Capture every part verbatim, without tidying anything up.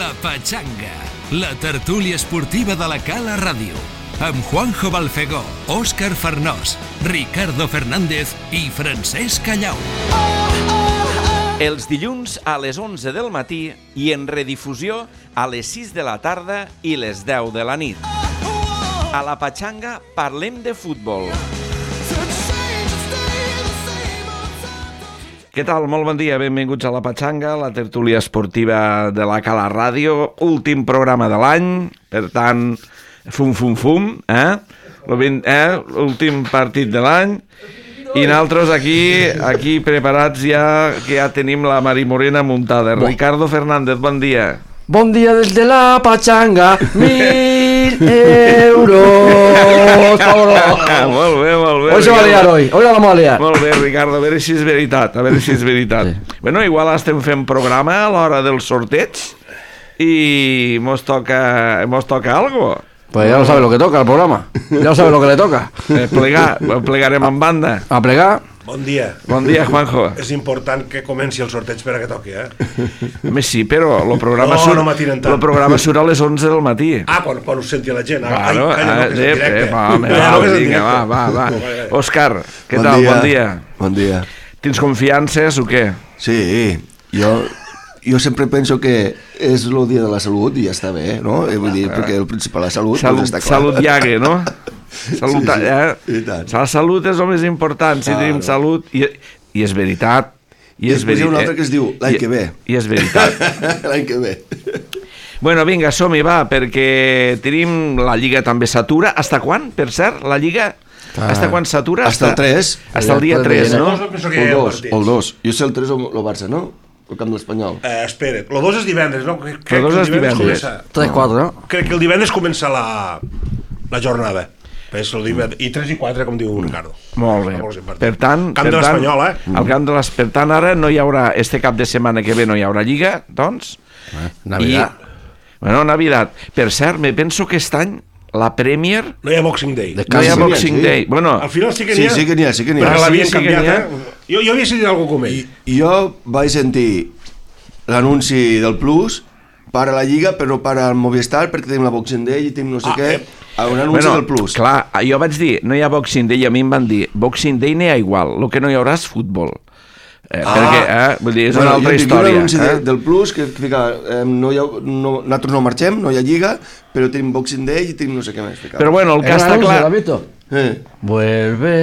La Pachanga, la tertúlia esportiva de la Cala Ràdio, amb Juanjo Balfegó, Òscar Farnós, Ricardo Fernández i Francesc Callau. Els dilluns a les onze del matí i en redifusió a les sis de la tarda i les deu de la nit. A La Pachanga parlem de futbol. Què tal? Molt bon dia, benvinguts a La Pachanga, la tertúlia esportiva de la Cala Ràdio, últim programa de l'any, per tant, fum, fum, fum, eh? L'últim partit de l'any, i nosaltres aquí, aquí preparats ja, que ja tenim la Mari Morena muntada. Bon. Ricardo Fernández, bon dia. Bon dia des de La Pachanga, mil euros. Molt bé, molt bé. Hoy se va a liar hoy, hoy la vamos a liar. Molt bé, Ricardo, a veure si és veritat, a veure si és veritat. Sí. Bueno, igual estem fent programa a l'hora del sorteig i mos toca, mos toca algo. Pues ya lo sabe lo que toca el programa, ya lo sabe lo que le toca. Eh, plegar, plegarem en banda. A plegar. Bon dia. Bon dia, Juanjo. És important que comenci el sorteig per a que toqui, eh? Més sí, però el programa, no, surt, no m'atiren tant. el programa surt a les onze del matí. Ah, quan, quan ho senti la gent. Claro, ai, calla, no, que és en directe. Eh, va, home, Calla, va, no, que és en vinga, va, va, va. Òscar, què bon tal? Dia. Bon dia. Bon dia. Tens confiances o què? Sí, jo, jo sempre penso que és el dia de la salut i ja està bé, no? Vull dir, perquè el principal, la salut, salut doncs està clar. Salut llague, no? Salut, sí, sí, eh? i tant. La salut és el més important, si claro. tenim salut, i, i és veritat. I, I és després hi ha un altre que es diu l'any que ve. I és veritat. L'any que ve. Bueno, vinga, som-hi, va, perquè tenim la Lliga també s'atura. Hasta quan, per cert, la Lliga? Ah. Hasta quan s'atura? Hasta el tres. Hasta el dia tres, no? El dos, el dos. Jo sé el tres o el Barça, no? El camp de l'Espanyol. Eh, espera't, el dos és divendres, no? Crec el dos és divendres. tres quatre, no? Crec que el divendres comença la, la jornada. I tres i quatre, com diu Ricardo. Molt bé. Per tant, camp de l'Espanyol, eh? El camp de l'Espanyol. Per tant, ara no hi haurà, este cap de setmana que ve no hi haurà Lliga, doncs. Eh, Navidad. I, bueno, Navidad. Per cert, me penso que aquest any la Premier... No hi ha Boxing Day. No hi ha Boxing Day. Sí. Bueno, al final sí que n'hi ha. Sí, sí que n'hi ha, sí que n'hi ha. Perquè l'havien sí, sí canviat, ha. eh? Jo, jo havia sentit alguna cosa com ell. I jo vaig sentir l'anunci del Plus per a la Lliga, però per al Movistar, perquè tenim la Boxing Day i tenim no sé ah, què, eh. un anunci bueno, del Plus. Clar, jo vaig dir, no hi ha Boxing Day, i a mi em van dir, Boxing Day n'hi ha igual, el que no hi haurà és futbol. Eh, ah. Perquè, eh, vull dir, és bueno, una altra història. Un anunci eh? de, del Plus que fica, eh, no hi ha, no, nosaltres no marxem, no hi ha Lliga, però tenim Boxing Day i tenim no sé què més. Ficar. Però bueno, el que està clar... Eh. Vuelve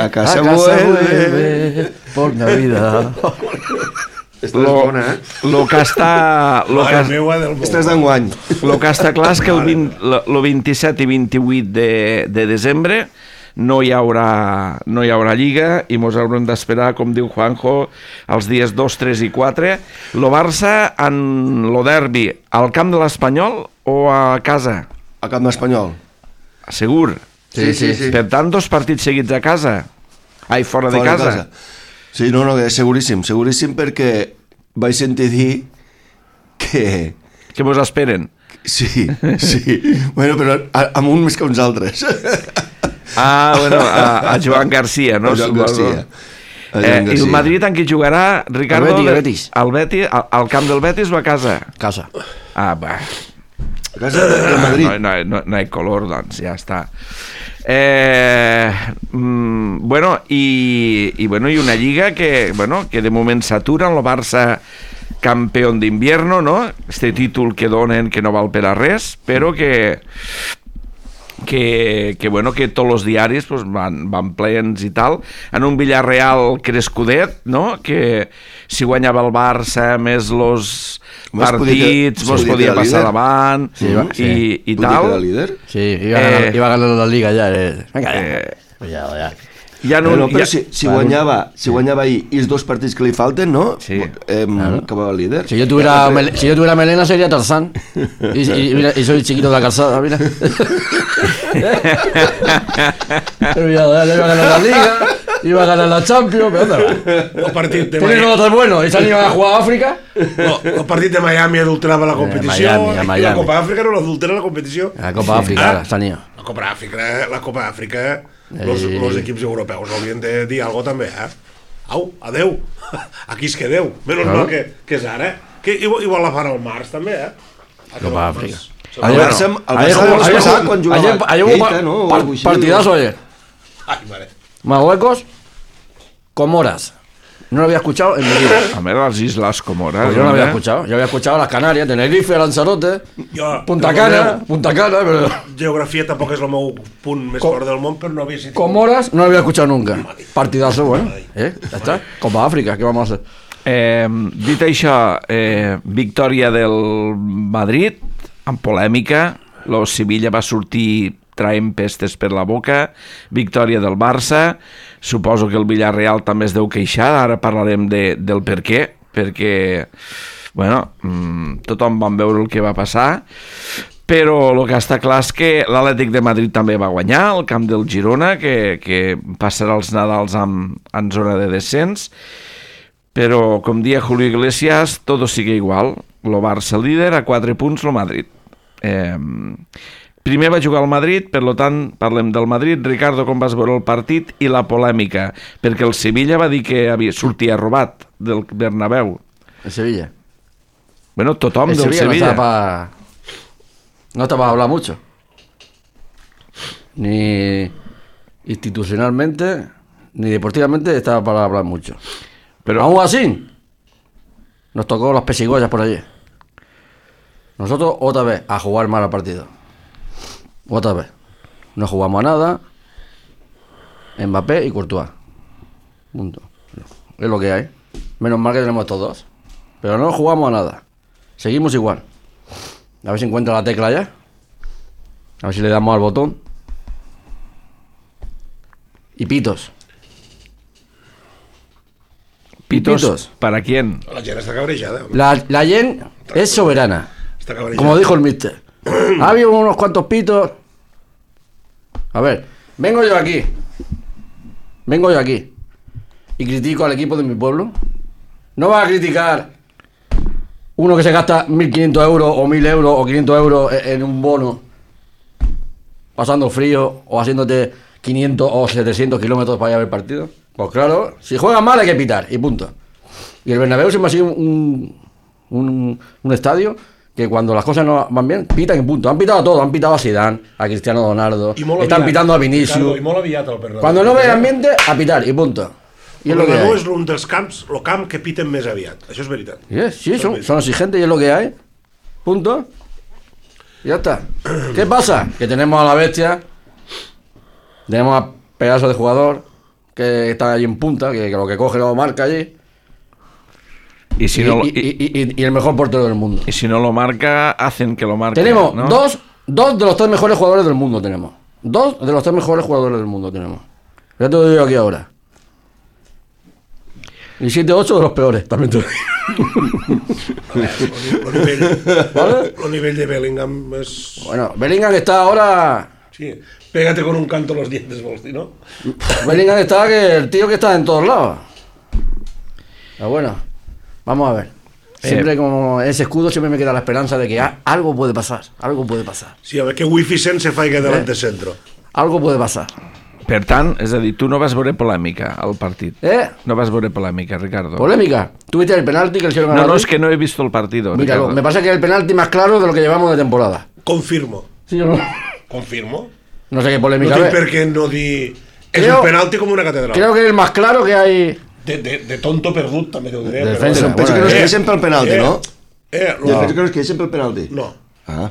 a casa, a casa vuelve, vuelve por Navidad. Lo, bona, eh? Lo que està... Lo que, Estàs d'enguany. Lo que està clar és que el, vint, el vint-i-set i vint-i-vuit de, de desembre no hi haurà, no hi haurà Lliga i mos haurem d'esperar, com diu Juanjo, els dies dos, tres i quatre. Lo Barça en lo derbi, al camp de l'Espanyol o a casa? Al camp de l'Espanyol. Segur? Sí, sí, sí. Per tant, dos partits seguits a casa? Ai, fora, fora de casa? De casa. Sí, no, no, seguríssim, seguríssim perquè vaig sentir dir que... Que vos esperen? Sí, sí. Bueno, però amb un més que uns altres. Ah, bueno, a, a Joan Garcia, no? A Joan Garcia. A Joan eh, Garcia. I el Madrid en qui jugarà, Ricardo? El Betis. El Betis, al, al camp del Betis o a casa? Casa. Ah, va. A casa del Madrid. No, no, no, no hi ha color, doncs, ja està. Eh, mm, bueno, i, i, bueno, i una lliga que, bueno, que de moment s'atura, el Barça campeón d'invierno, no? Este títol que donen que no val per a res, però que que, que bueno, que tots els diaris pues, van, van plens i tal, en un Villarreal crescudet, no? Que si guanyava el Barça més els partits mos podia, podia passar davant sí, va, sí. i, i tal. Sí, iba a ganar, eh, iba a ganar la Liga ja. Eh. Venga, ja. Eh, ja, ja. Ja no, bueno, però ja... si, si guanyava si guanyava ahir i els dos partits que li falten, no? Sí. Eh, claro. Acabava el líder. Si yo tuviera, mel si yo tuviera melena sería Tarzán. Y, y, mira, y soy chiquito de la calzada, mira. Pero ya, ya iba a ganar la Liga, iba a ganar la Champions, pero ¿dónde va? El partit de Miami. Otro bueno, y se han ido a jugar a África. No, el partit de Miami adulterava la competició. Eh, Miami, Miami. La Copa Àfrica no l'adultera la competició. La Copa Àfrica, ah, s'han ido. La Copa Àfrica, la Copa Àfrica, los, eh. los equips europeus haurien de dir alguna cosa també, eh? Au, adeu. Aquí es quedeu. Menys mal que, que és ara. Que igual, igual la fan al març també, eh? Copa África. El Barça, el Barça el mes passat, quan jugava ayer hubo Keita, no? O par- algo així. partidazo ayer. Ay, vale. Marruecos, Comoras. No lo había escuchado en mi vida. A ver, las Islas Comoras. Pues yo no lo había ¿eh? escuchado. Yo había escuchado las Canarias, Tenerife, Lanzarote, Jo, Punta perdoneu, Cana, Punta Cana, pero Geografia tampoc és el meu punt més Co- fort del món, però no havia sentit. Comoras no lo había escuchado nunca. Partidazo, bueno. ¿Eh? Ya está. Copa África, ¿qué vamos a hacer? Eh, dit això, eh, victòria del Madrid, amb polèmica, lo Sevilla va sortir traient pestes per la boca, victòria del Barça, suposo que el Villarreal també es deu queixar, ara parlarem de, del per què, perquè, bueno, mmm, tothom vam veure el que va passar, però el que està clar és que l'Atlètic de Madrid també va guanyar al camp del Girona, que, que passarà els Nadals amb, en zona de descens, però, com dia Julio Iglesias, todo sigue igual. Lo Barça líder, a quatre punts lo Madrid. Eh, primer va jugar al Madrid, per lo tant, parlem del Madrid. Ricardo, com vas veure el partit i la polèmica? Perquè el Sevilla va dir que havia sortia robat del Bernabéu. En Sevilla. Bueno, tothom El del Sevilla, Sevilla. no estaba para... No estaba para hablar mucho. Ni institucionalmente, ni deportivamente estaba para hablar mucho. Pero Aún así, nos tocó las pesigollas por allí. Nosotros otra vez a jugar mal al partido. Otra vez. No jugamos a nada. Mbappé y Courtois. Punto. Es lo que hay. Menos mal que tenemos estos dos. Pero no jugamos a nada. Seguimos igual. A ver si encuentra la tecla ya. A ver si le damos al botón. Y pitos. pitos, pitos. ¿para quién? La gent està cabrejada. La, la Yen es soberana. Està cabrejada. Como dijo el mister. Ha habido unos cuantos pitos. A ver, vengo yo aquí. Vengo yo aquí. Y critico al equipo de mi pueblo. No vas a criticar uno que se gasta mil quinientos euros o mil euros o quinientos euros en en un bono, pasando frío o haciéndote quinientos o setecientos kilómetros para ir a ver partido. Pues claro, si juegan mal hay que pitar y punto. Y el Bernabéu siempre ha sido un, un, un estadio que cuando las cosas no van bien, pitan y punto. Han pitado a todo, han pitado a Zidane, a Cristiano Ronaldo, I molt están aviat, pitando a Ricardo, Vinicius. I molt aviat el Bernabéu. Cuando no ve ambiente, a pitar y punto. Y es El lo que Bernabéu hay. és un dels camps, el camp que piten més aviat. Això és veritat. Sí, sí, son, son exigentes y es lo que hay. Punto. Y ya está. ¿Qué pasa? Que tenemos a la bestia, tenemos a pedazo de jugador que está allí en punta, que, que lo que coge lo marca allí. Y si, Y, no, y- y, y- y- y el mejor portero del mundo. y si no lo marca, hacen que lo marque. Tenemos ¿no? dos, dos de los tres mejores jugadores del mundo tenemos. Dos de los tres mejores jugadores del mundo tenemos. Ya te lo digo aquí ahora. Y siete ocho de los peores, también te lo digo. El nivell, ¿Vale? el nivell de Bellingham és... Bueno, Bellingham está ahora... Sí, pégate con un canto los dientes, vols dir, no? Bellingham está que el tío que está en todos lados. Pero bueno, vamos a ver. Siempre como ese escudo siempre me queda la esperanza de que a- algo puede pasar, algo puede pasar, Sí, a ver que Wifi Sen se faiga delante Eh. centro. algo puede pasar. Per tant, és a dir, tu no vas veure polèmica al partit. ¿Eh? No vas veure polèmica, Ricardo. Polémica. ¿Tuviste el penalti que le hicieron a No, no, Madrid? es que no he visto el partido, Míralo, Ricardo. me parece que es el penalti más claro de lo que llevamos de temporada. Confirmo. ¿Sí o no? Confirmo. No sé qué No polémica tinc es. per què no dir... És Creo- un penalti com una catedral. Creo que es el más claro que hay. De, de, de tonto perdut, també t'ho diré. De però- defensa. Em penso que no es Eh, queixen pel penalti, eh, no? Eh, Jo no. penso que no es queixen pel penalti. No. Ah.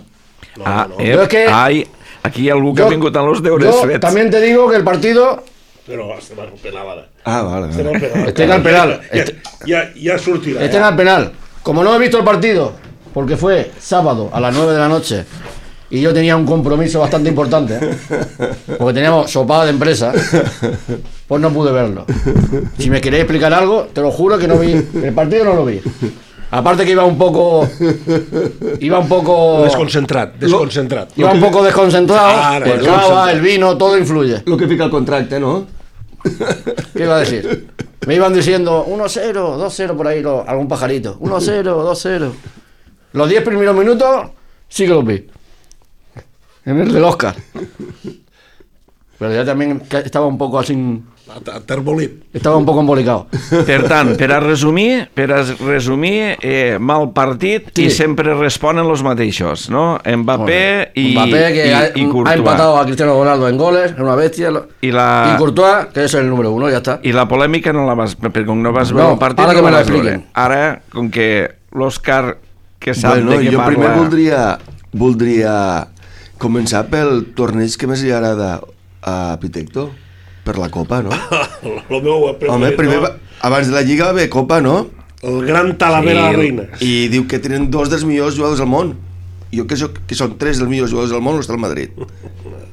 No, Ah, no. eh, Yo es que- ai, aquí hi ha algú que Yo- ha vingut amb els deures Yo fets. también te digo que el partido Però estem al penal ara. Ah, vale. Estem al vale. penal. Estem al penal. Ja, Este- ja, ja sortirà. está en eh? el penal. Como no he visto el partido, porque fue sábado a las nueve de la noche y yo tenía un compromiso bastante importante, ¿eh? Porque teníamos sopada de empresa, pues no pude verlo. Si me queréis explicar algo, te lo juro que no vi. El partido no lo vi. Aparte que iba un poco. Iba un poco. Desconcentrat, desconcentrat. Iba un poco desconcentrado. Claro, El desconcentrado. cava, el vino, todo influye. Lo que fica el contracte, no? ¿Qué iba a decir? Me iban diciendo uno cero, dos cero por ahí, lo- algún pajarito. uno cero, dos cero. Los diez primeros minutos sí que los vi. En el del Oscar. Pero ya también que estaba un poco así Terbolit. Estaba un poco embolicado. Per tant, per a resumir, per a resumir, eh, mal partit Sí. i sempre responen els mateixos, no? Mbappé i, Mbappé, que i, ha, i ha Courtois. empatado a Cristiano Ronaldo en goles, es una bestia. lo- I la, Y Courtois, que es el número uno, ya está. I la polèmica no la vas... Perquè com no vas No, veure el partit... ara que no me la la vas veure. expliquen. Ara, com que l'Òscar, que sap Bueno, de què jo parla... primer voldria, voldria començar pel torneig que més li agrada a Pitecto, per la Copa, no? Lo meu preferit, Home, primer, no? va- abans de la Lliga va haver Copa, no? El gran Talavera Sí, de la Reina. I diu que tenen dos dels millors jugadors del món. Jo que, soc, que són tres dels millors jugadors del món, està al Madrid.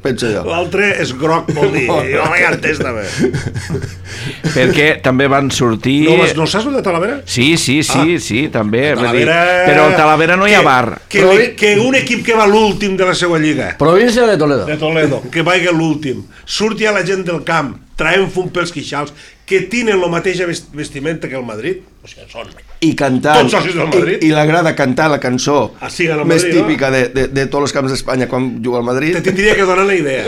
Penso jo. L'altre és groc, vol dir. Jo m'he entès, també. Perquè també van sortir... No, vas- no saps el de Talavera? Sí, sí, sí, Ah. sí, també. vull dir, Talavera... Però al Talavera no hi ha Que- bar. Que, que, que un equip que va l'últim de la seva lliga, Provincia de Toledo. de Toledo, que vagi l'últim, surti a la gent del camp, traient fum pels quixals, que tenen la mateixa vest- vestimenta que el Madrid, o sigui, són... I cantant, Tots socis del Madrid. i, i l'agrada cantar la cançó Ah, sí, al més Madrid, no? típica de, de, de tots els camps d'Espanya quan juga al Madrid. Te tindria que donar la idea.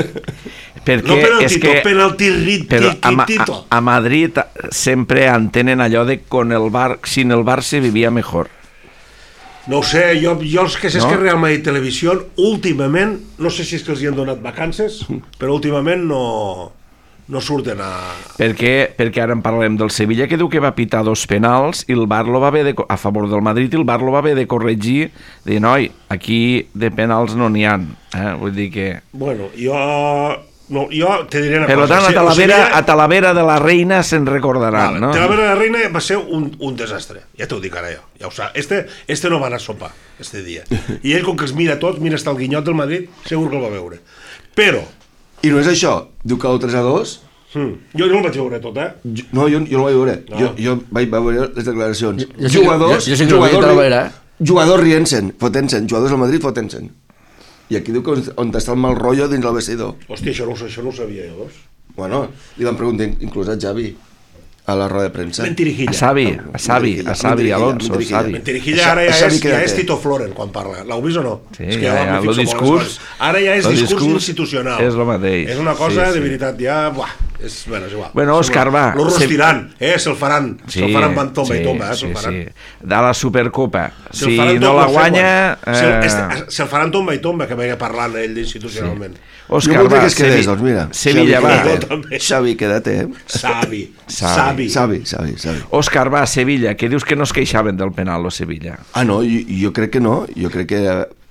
Perquè No penaltito, és que... penalti rit, Però a, Ma- tito. a, a Madrid sempre entenen allò de con el bar, sin el bar se vivia mejor. No ho sé, jo, jo els que sé No? no? que Real Madrid Televisió últimament, no sé si és que els hi han donat vacances, però últimament no, no surten a... Perquè, perquè ara en parlem del Sevilla, que diu que va pitar dos penals i el bar lo va haver de, co- a favor del Madrid, i el bar lo va haver de corregir, de noi, aquí de penals no n'hi ha. Eh? Vull dir que... Bueno, jo... No, jo te diré una Per cosa. tant, a Si- o Talavera, sigui, a Talavera de la Reina se'n recordaran, Vale, no? Talavera de la Reina va ser un, un desastre. Ja t'ho dic ara jo. Ja ho sap. Este, este no va anar a sopar, este dia. I ell, com que els mira tots, mira hasta el guinyot del Madrid, segur que el va veure. Però, I no és això, diu que el tres a dos... hmm, jo no el vaig veure tot, eh? Jo, no, jo, jo no el vaig veure. No. Jo, jo vaig veure les declaracions. Jo sí que- jugadors, jo- jo sí que el jugadors, vi a Talavera, eh? jugadors rient-se'n, fotent-se'n, jugadors del Madrid fotent-se'n. I aquí diu que on, on està el mal rotllo dins el vestidor. Hòstia, això no, ho- això no ho sabia jo, doncs. Bueno, li van preguntar inclús a Xavi a la roda de premsa. Mentirijilla. A Xavi, a Xavi, a Xavi, Alonso, Mentiriguilla. Xavi. Mentirijilla ara ja Xavi és, ja quédate. és Tito Floren quan parla. L'heu vist o no? Sí, és que ja, ja, m'hi lo fixo molt les discurs- coses. Ara ja és lo discurs, discurs institucional. és lo mateix. És una cosa, Sí, sí. de veritat, ja... Buah, és, bueno, és igual. Bueno, Òscar, va. Lo Se- rostiran, eh? Se'l faran. Sí, se'l faran van tomba sí, i tomba, eh? sí, Se'l faran. sí. De la Supercopa. Se'l Si faran no tomba, la sé guanya... quan. Se'l Eh... este- Se'l faran tomba i tomba, que vaya parlant ell institucionalment. Òscar, jo voldria va, que es quedés, Sevi- doncs mira. Sevilla, Xavi, va. quédate. també. Xavi, quédate, eh? Savi, Savi. savi. Xavi, Xavi, Xavi. Òscar, va, Sevilla, que dius que no es queixaven del penal, o Sevilla. Ah, no, jo, jo crec que no. Jo crec que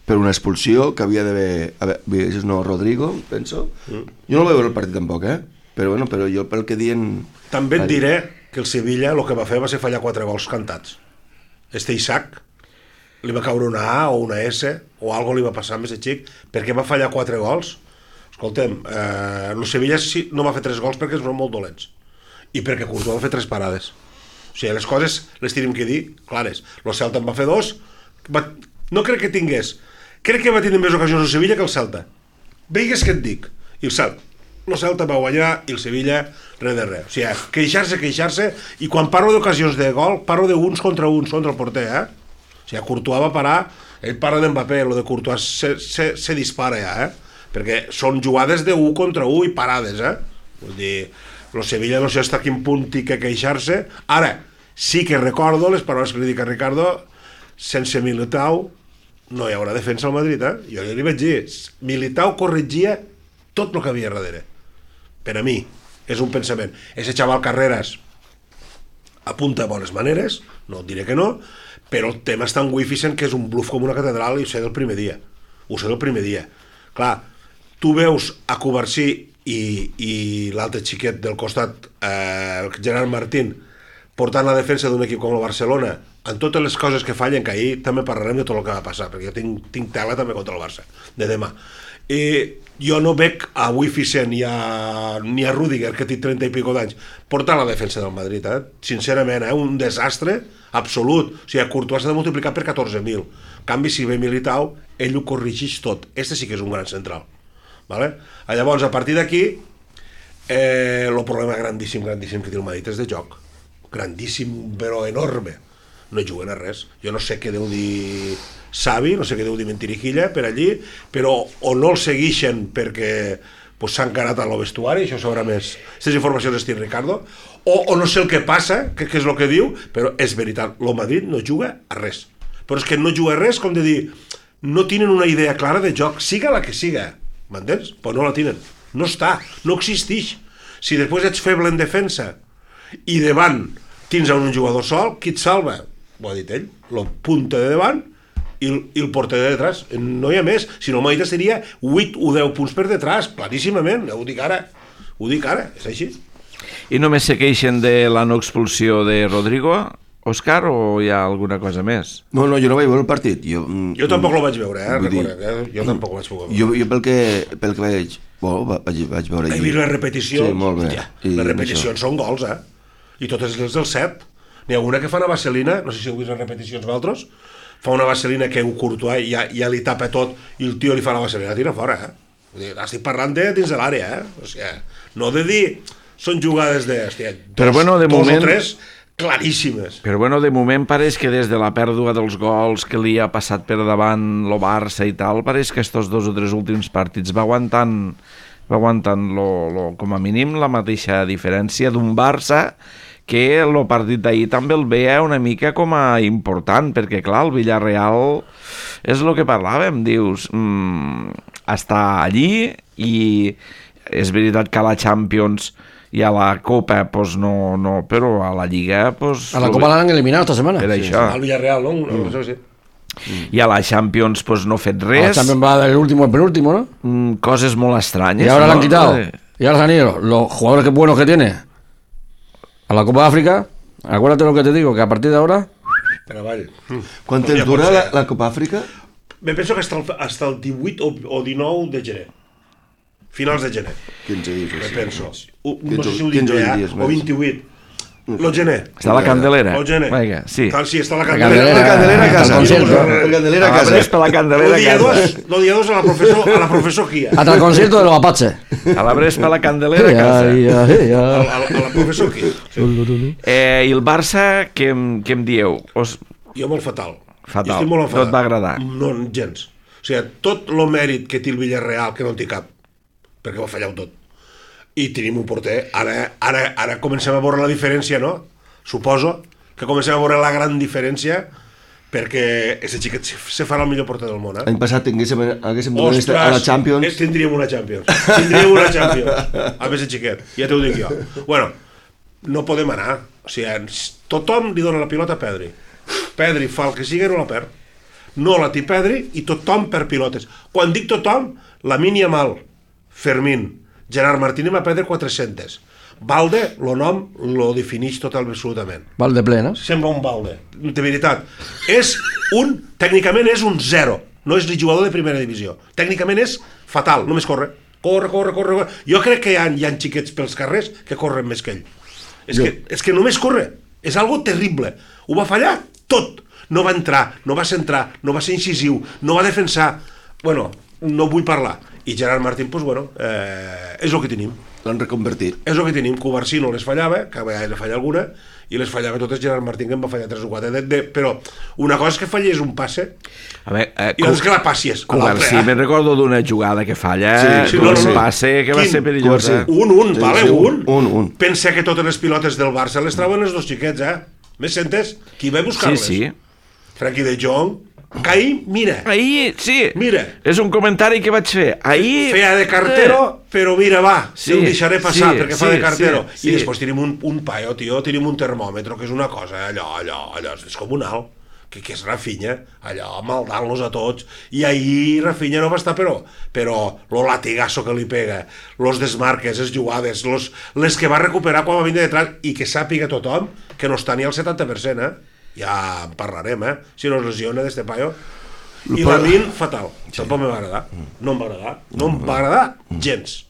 per una expulsió que havia d'haver... haver- No, Rodrigo, penso. Mm. Jo no vaig veure el partit tampoc, eh? Però bueno, però jo pel que dient... També et diré que el Sevilla el que va fer va ser fallar quatre gols cantats. Este Isaac li va caure una A o una S o algo li va passar amb aquest xic perquè va fallar quatre gols. Escolta'm, eh, el Sevilla sí, no va fer tres gols perquè són molt dolents i perquè Courtois va fer tres parades. O sigui, les coses les tenim que dir clares. El Celta en va fer dos, va, no crec que tingués, crec que va tenir més ocasions el Sevilla que el Celta. Veigues què et dic. I el Celta, el Celta va guanyar i el Sevilla res de res. O sigui, queixar-se, queixar-se, i quan parlo d'ocasions de gol, parlo d'uns contra uns contra el porter, eh? O sigui, Courtois va parar, ell parla d'Mbappé, lo de Courtois se, se, se dispara ja, eh? Perquè són jugades de un contra un i parades, eh? Vull dir, el Sevilla no sé hasta quin punt té que queixar-se. Ara, sí que recordo les paraules que li dic a Ricardo, sense Militao no hi haurà defensa al Madrid, eh? Jo li vaig dir, Militao corregia tot el que havia darrere. Per a mi, és un pensament. Ese xaval Carreras apunta a bones maneres, no et diré que no, però el tema està en Wificent, que és un bluff com una catedral, i ho sé del primer dia. Ho sé del primer dia. Clar, tu veus a Covarsí i, i l'altre xiquet del costat, eh, Gerard Martín, portant la defensa d'un equip com el Barcelona, en totes les coses que fallen, que ahir també parlarem de tot el que va passar, perquè jo tinc, tinc tela també contra el Barça, de demà. I jo no veig a Wificent ni a, ni a Rüdiger, que té trenta i pico d'anys, portant la defensa del Madrid, eh? Sincerament, eh? Un desastre absolut. O sigui, a Courtois s'ha de multiplicar per catorze mil. En canvi, si ve Militao, ell ho corregeix tot. Este sí que és un gran central. Vale? Llavors, a partir d'aquí, eh, el problema grandíssim, grandíssim que té el Madrid és de joc. Grandíssim, però enorme. No juguen a res. Jo no sé què deu dir Savi, no sé què deu dir Mentirijilla per allí, però o no el segueixen perquè pues s'ha encarat a lo vestuari, això sabrà més aquestes informacions d'estil Ricardo, o, o no sé el que passa, que, que és el que diu, però és veritat, el Madrid no juga a res, però és que no juga a res, com de dir, no tenen una idea clara de joc, siga la que siga, m'entens? Però no la tenen, no està, no existeix. Si després ets feble en defensa i davant tens un jugador sol, qui et salva? Ho ha dit ell, el punta de davant i el, i el porter de detrás, no hi ha més, si no Maita seria vuit o deu punts per detrás, claríssimament, ho dic ara, ho dic ara, és així. I només se queixen de la no expulsió de Rodrigo, Òscar, o hi ha alguna cosa més? No, no, jo no vaig veure el partit. Jo, jo tampoc lo vaig veure, eh, recorda, eh? Jo tampoc ho vaig veure. Jo, jo pel, que, pel que veig, bueno, vaig, vaig veure allí. He vist les repeticions, sí, molt bé. Ja, les repeticions són gols, eh? I totes les del set. N'hi ha una que fa una vaselina, no sé si heu vist les repeticions d'altres, fa una vaselina que un Courtois ja, ja li tapa tot i el tio li fa la vaselina, tira fora, eh? Vull dir, estic parlant de dins de l'àrea, eh? O sigui, no de dir, són jugades de, hòstia, dos, però bueno, de dos moment, o tres claríssimes. Però bueno, de moment pareix que des de la pèrdua dels gols que li ha passat per davant el Barça i tal, pareix que estos dos o tres últims partits va aguantant, va aguantant lo, lo, com a mínim la mateixa diferència d'un Barça que el partit d'ahir també el veia una mica com a important, perquè clar, el Villarreal és el que parlàvem, dius, mmm, està allí i és veritat que a la Champions i a la Copa, pues no, no, però a la Lliga... Pues, a la Copa l'han eliminat esta setmana. Per sí, això. Al Villarreal, no? Mm. no sé, sí. I a la Champions pues no ha fet res. A la Champions va del último al penúltimo, ¿no? Mm, coses molt estranyes. Y ahora ¿no? la han quitado. Y ahora se han ido los jugadores que buenos que tiene a la Copa de África. Acuérdate lo que te digo, que a partir de ahora... Per avall. Quan temps dura la, la Copa Àfrica? Me penso que hasta el, hasta el divuit o, o dinou de gener. Finals de gener. quinze dies. Me Sí, penso. sí. U, no sé si ho dic ja, dies, o vint-i-vuit. Lo gener. Està a la Candelera. Lo gener. Vinga, sí. Tal, sí, està a la La Candelera. Candelera, La Candelera a casa. al concierto. La Candelera a Ah, casa. però és per la Candelera Lo dia a casa. dos, lo dia dos a la professor, a la professor Kia. Hasta el concierto de los Apaches. A la Brespa, a la Candelera a casa. Ai, ai, A, ai. a, a la professor Kia. Sí. Eh, I el Barça, què, em- què em dieu? Os... Jo molt fatal. Fatal. Jo estic molt No et va agradar? No, gens. O sigui, tot el mèrit que té el Villarreal, que no en té cap, perquè ho ha fallat tot. I tenim un porter. Ara, ara, ara comencem a veure la diferència, no? Suposo que comencem a veure la gran diferència perquè aquest xiquet se, se farà el millor porter del món, eh? L'any passat tinguéssim, haguéssim donat a la Champions. eh, tindríem una Champions. Tindríem una Champions. A més xiquet, ja t'ho dic jo. Bueno, no podem anar. O sigui, tothom li dona la pilota a Pedri. Pedri fa el que sigui i no la perd. No la té Pedri i tothom per pilotes. Quan dic tothom, Lamine Yamal, Fermín, Gerard Martínez va perdre quatre-centes. Balde, el nom, lo defineix total absolutament. Valde ple, no? Sembla un Balde, de veritat. És un, tècnicament és un zero, no és el jugador de primera divisió. Tècnicament és fatal, només corre. Corre, corre, corre. corre. Jo crec que hi ha, hi ha xiquets pels carrers que corren més que ell. És que, és que només corre. És algo terrible. Ho va fallar tot. No va entrar, no va centrar, no va ser incisiu, no va defensar. Bueno, no vull parlar. I Gerard Martín, doncs, bueno, eh, és el que tenim. L'han reconvertit. És el que tenim. Covarsí no les fallava, que a vegades ne falla alguna, i les fallava totes Gerard Martín, que en va fallar tres o quatre. De, de, però una cosa és que fallés un passe A veure, eh, i l'altra és que la passies. a Covarsí, l'altre, eh? me'n recordo d'una jugada que falla, Sí, sí, sí, no, un no, no. passe que va Quin? ser perillosa. Covarsí. Un, un, Sí, vale, sí, un. un, un. Pensa que totes les pilotes del Barça les trauen els dos xiquets, eh? Me sentes? Qui va a Sí, buscar-les? sí. Frankie de Jong. Caí, mira. Ahir, sí, Mira. és un comentari que vaig fer. Ahir... Feia de cartero, però mira, va, Sí, sí, el deixaré passar sí, perquè fa sí, de cartero. sí, sí. I després tenim un, un paio, tio, tenim un termòmetre, que és una cosa, allò, allò, allò, és descomunal, que, que és Rafinha, allò, maldant-los a tots. I ahir Rafinha no va estar, però, però lo latigazo que li pega, los desmarques, les jugades, los, les que va recuperar quan va vindre detrás, i que sàpiga tothom que no està ni al setanta per cent, eh? Ja en parlarem, eh? Si no es lesiona d'este paio. I Lamine, fatal. Tampoc me va agradar. No em va agradar. No em va agradar gens.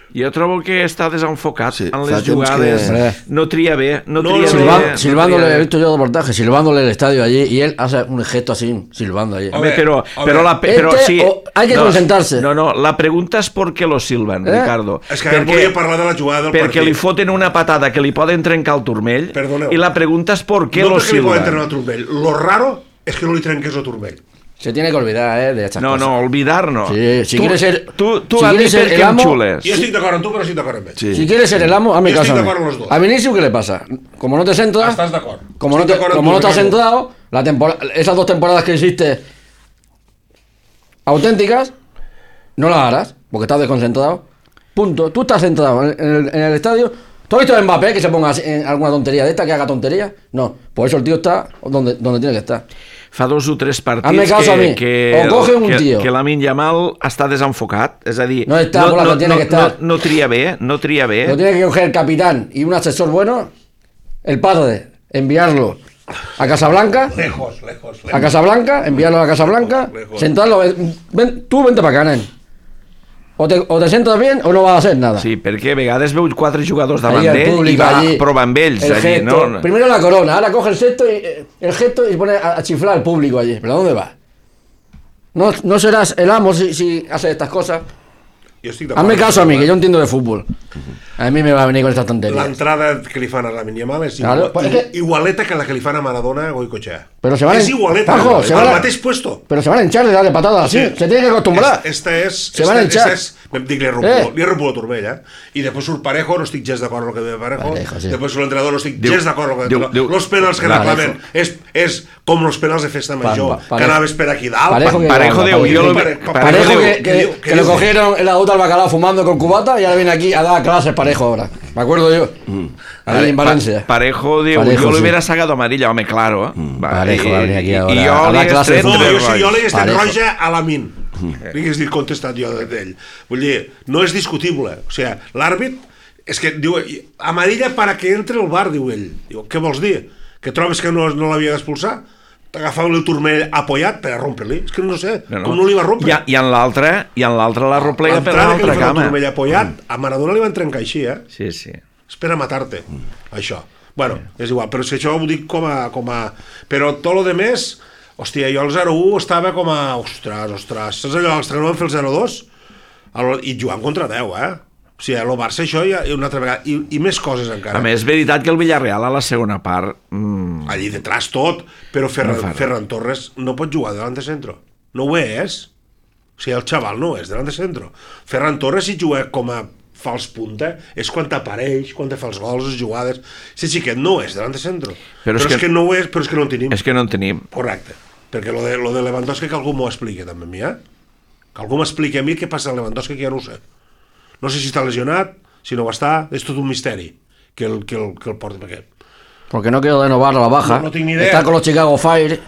Jo trobo que està desenfocat Sí, en fa les temps jugades, que- no tria bé, no No, tria no, bé. Silba- no silbándole, tria he bé. visto yo reportaje, silbándole el estadio allí y él hace un gesto así, silbando allí. Home, A però, ver, a però, ver. la, però Este, sí, o- hay que no, concentrarse. No, no, la pregunta és per què lo silben, Eh? Ricardo. És que ara volia parlar de la jugada del perquè partit. li foten una patada que li poden trencar el turmell. Perdoneu. I la pregunta és per què no lo perquè li poden treure silben. el turmell. Lo raro és que no li trenqués el turmell. Se tiene que olvidar, ¿eh? De estas No, cosas. no, olvidar no. Sí, si tu, quieres ser- Tu, tu si a mi quieres ser perquè el em amo- xules. Jo estic d'acord amb tu, però estic d'acord amb ell. Sí. Si quieres ser el amo, hazme Yo caso. estoy a de mí. acuerdo con los dos. A Vinicius, ¿qué le pasa? Como no te centras. Estás de acuerdo. Como no, Estoy te, de acuerdo como en no tu, te has Ricardo. centrado, la tempora- esas dos temporadas que hiciste auténticas, no las harás, porque estás desconcentrado. Punto. Tú estás centrado en el, en el estadio. ¿Tú has visto a Mbappé que se ponga así en alguna tontería de esta, que haga tontería? No. Por eso el tío está donde, donde tiene que estar. Fa dos o tres partits Hazme caso a que, mí. que, O coge un que, tío. que Lamine Yamal està desenfocat, és a dir, No està por la que tiene no, que estar. no, no tria bé, no tria bé. Lo tiene que coger el capitán y un asesor bueno, el padre, enviarlo a Casablanca, Lejos, lejos, lejos. a Casablanca, enviarlo a Casablanca, Lejos. sentarlo, ven, tú vente para acá, nen. O te, o te sientas bien o no vas a hacer nada. Sí, perquè a vegades veus quatre jugadors davant Ahí el d'ell i público va allí, prova amb ells el allí, gesto. no? Primero la corona, ahora coge el gesto y eh, el gesto y se pone a, a chiflar al público allí. ¿Pero a dónde vas? No, no serás el amo si, si haces estas cosas. Jo estic d'acord. Hazme caso a mí, que yo entiendo de fútbol. A mí me va a venir con estas tonterías. L'entrada que li fan a Lamine Yamal és Claro, igual, pues es que- igualeta que la que li fan a Maradona a Goicoechea. Pero se van és en- igualeta, Pajo, se al van a- mateix puesto. Pero se van a hinchar de darle patadas así. Sí. Se tiene que acostumbrar. Es- Esta és... Se van a esta, hinchar. esta és... Dic, li he Eh. romput, li he romput la turmella. I després surt Parejo, no estic gens d'acord amb el que ve Parejo. Parejo, sí. Després surt l'entrenador, no estic Diu- gens d'acord amb el que diu- diu- Los penals que Parejo. reclamen és, és com els penals de festa major, Pa- pa- que anaves per aquí dalt. Parejo que- Parejo Parejo diu, que- jo lo Pare- ve- pa- Parejo Parejo que, diu, que, diu- que lo diu- cogieron en la ruta al bacalao fumando con cubata y ahora viene aquí a dar clases Parejo ahora. Me acuerdo yo. Ahí en Pa- Valencia. Parejo diu, Parejo, jo li sí. hubiera sacado amarilla, home, claro. Eh? Va, Parejo i- va venir aquí i- ahora i jo a li dar he clases. tret No, tres jo, si jo roig. li hagués tret Parejo. roja a la Min. Li hagués dit contestat jo d'ell. Vull dir, no és discutible. O sigui, l'àrbit, és que diu, amarilla para que entre el bar, diu ell. Diu, què vols dir? Que trobes que no, no l'havia d'expulsar? T'agafava el turmell apoyat per a romper-li? És que no sé, No, no. com no li va rompre? I, a- i en l'altre, i en l'altre la replega per L'entrada que li l'altra fa el cama. turmell apoyat, a Maradona li van trencar així, eh? Sí, sí. Espera matar-te, això. Bueno, és igual, però és que això ho dic com a... Com a... Però tot lo de més, hòstia, jo al zero u estava com a... Ostres, ostres, saps allò, els que no van fer el zero dos? El- I jugant contra deu, eh? O sigui, el Barça això ja una altra vegada, i, i més coses encara. A més, és veritat que el Villarreal a la segona part... Mm, Allí detrás tot, però Ferran, No fa res. Ferran Torres no pot jugar davant de centro. No ho és. O sigui, el xaval no és davant de centro. Ferran Torres, si juga com a fals punta, és quan t'apareix, quan te fa els gols, les jugades... Si xiquet no és davant de centro. Però Però, és però és, que- que... no ho és, però és que no en tenim. és que no en tenim. Correcte. Perquè lo de, lo de Lewandowski que algú m'ho expliqui també a mi, eh? Que algú m'expliqui a mi què passa amb Lewandowski, que ja no ho sé. No sé si està lesionat, si no ho està, és tot un misteri que el, que el, que el porti per aquest. Porque no quiero renovar la baja. No, no tengo ni idea. Está con los Chicago Fire.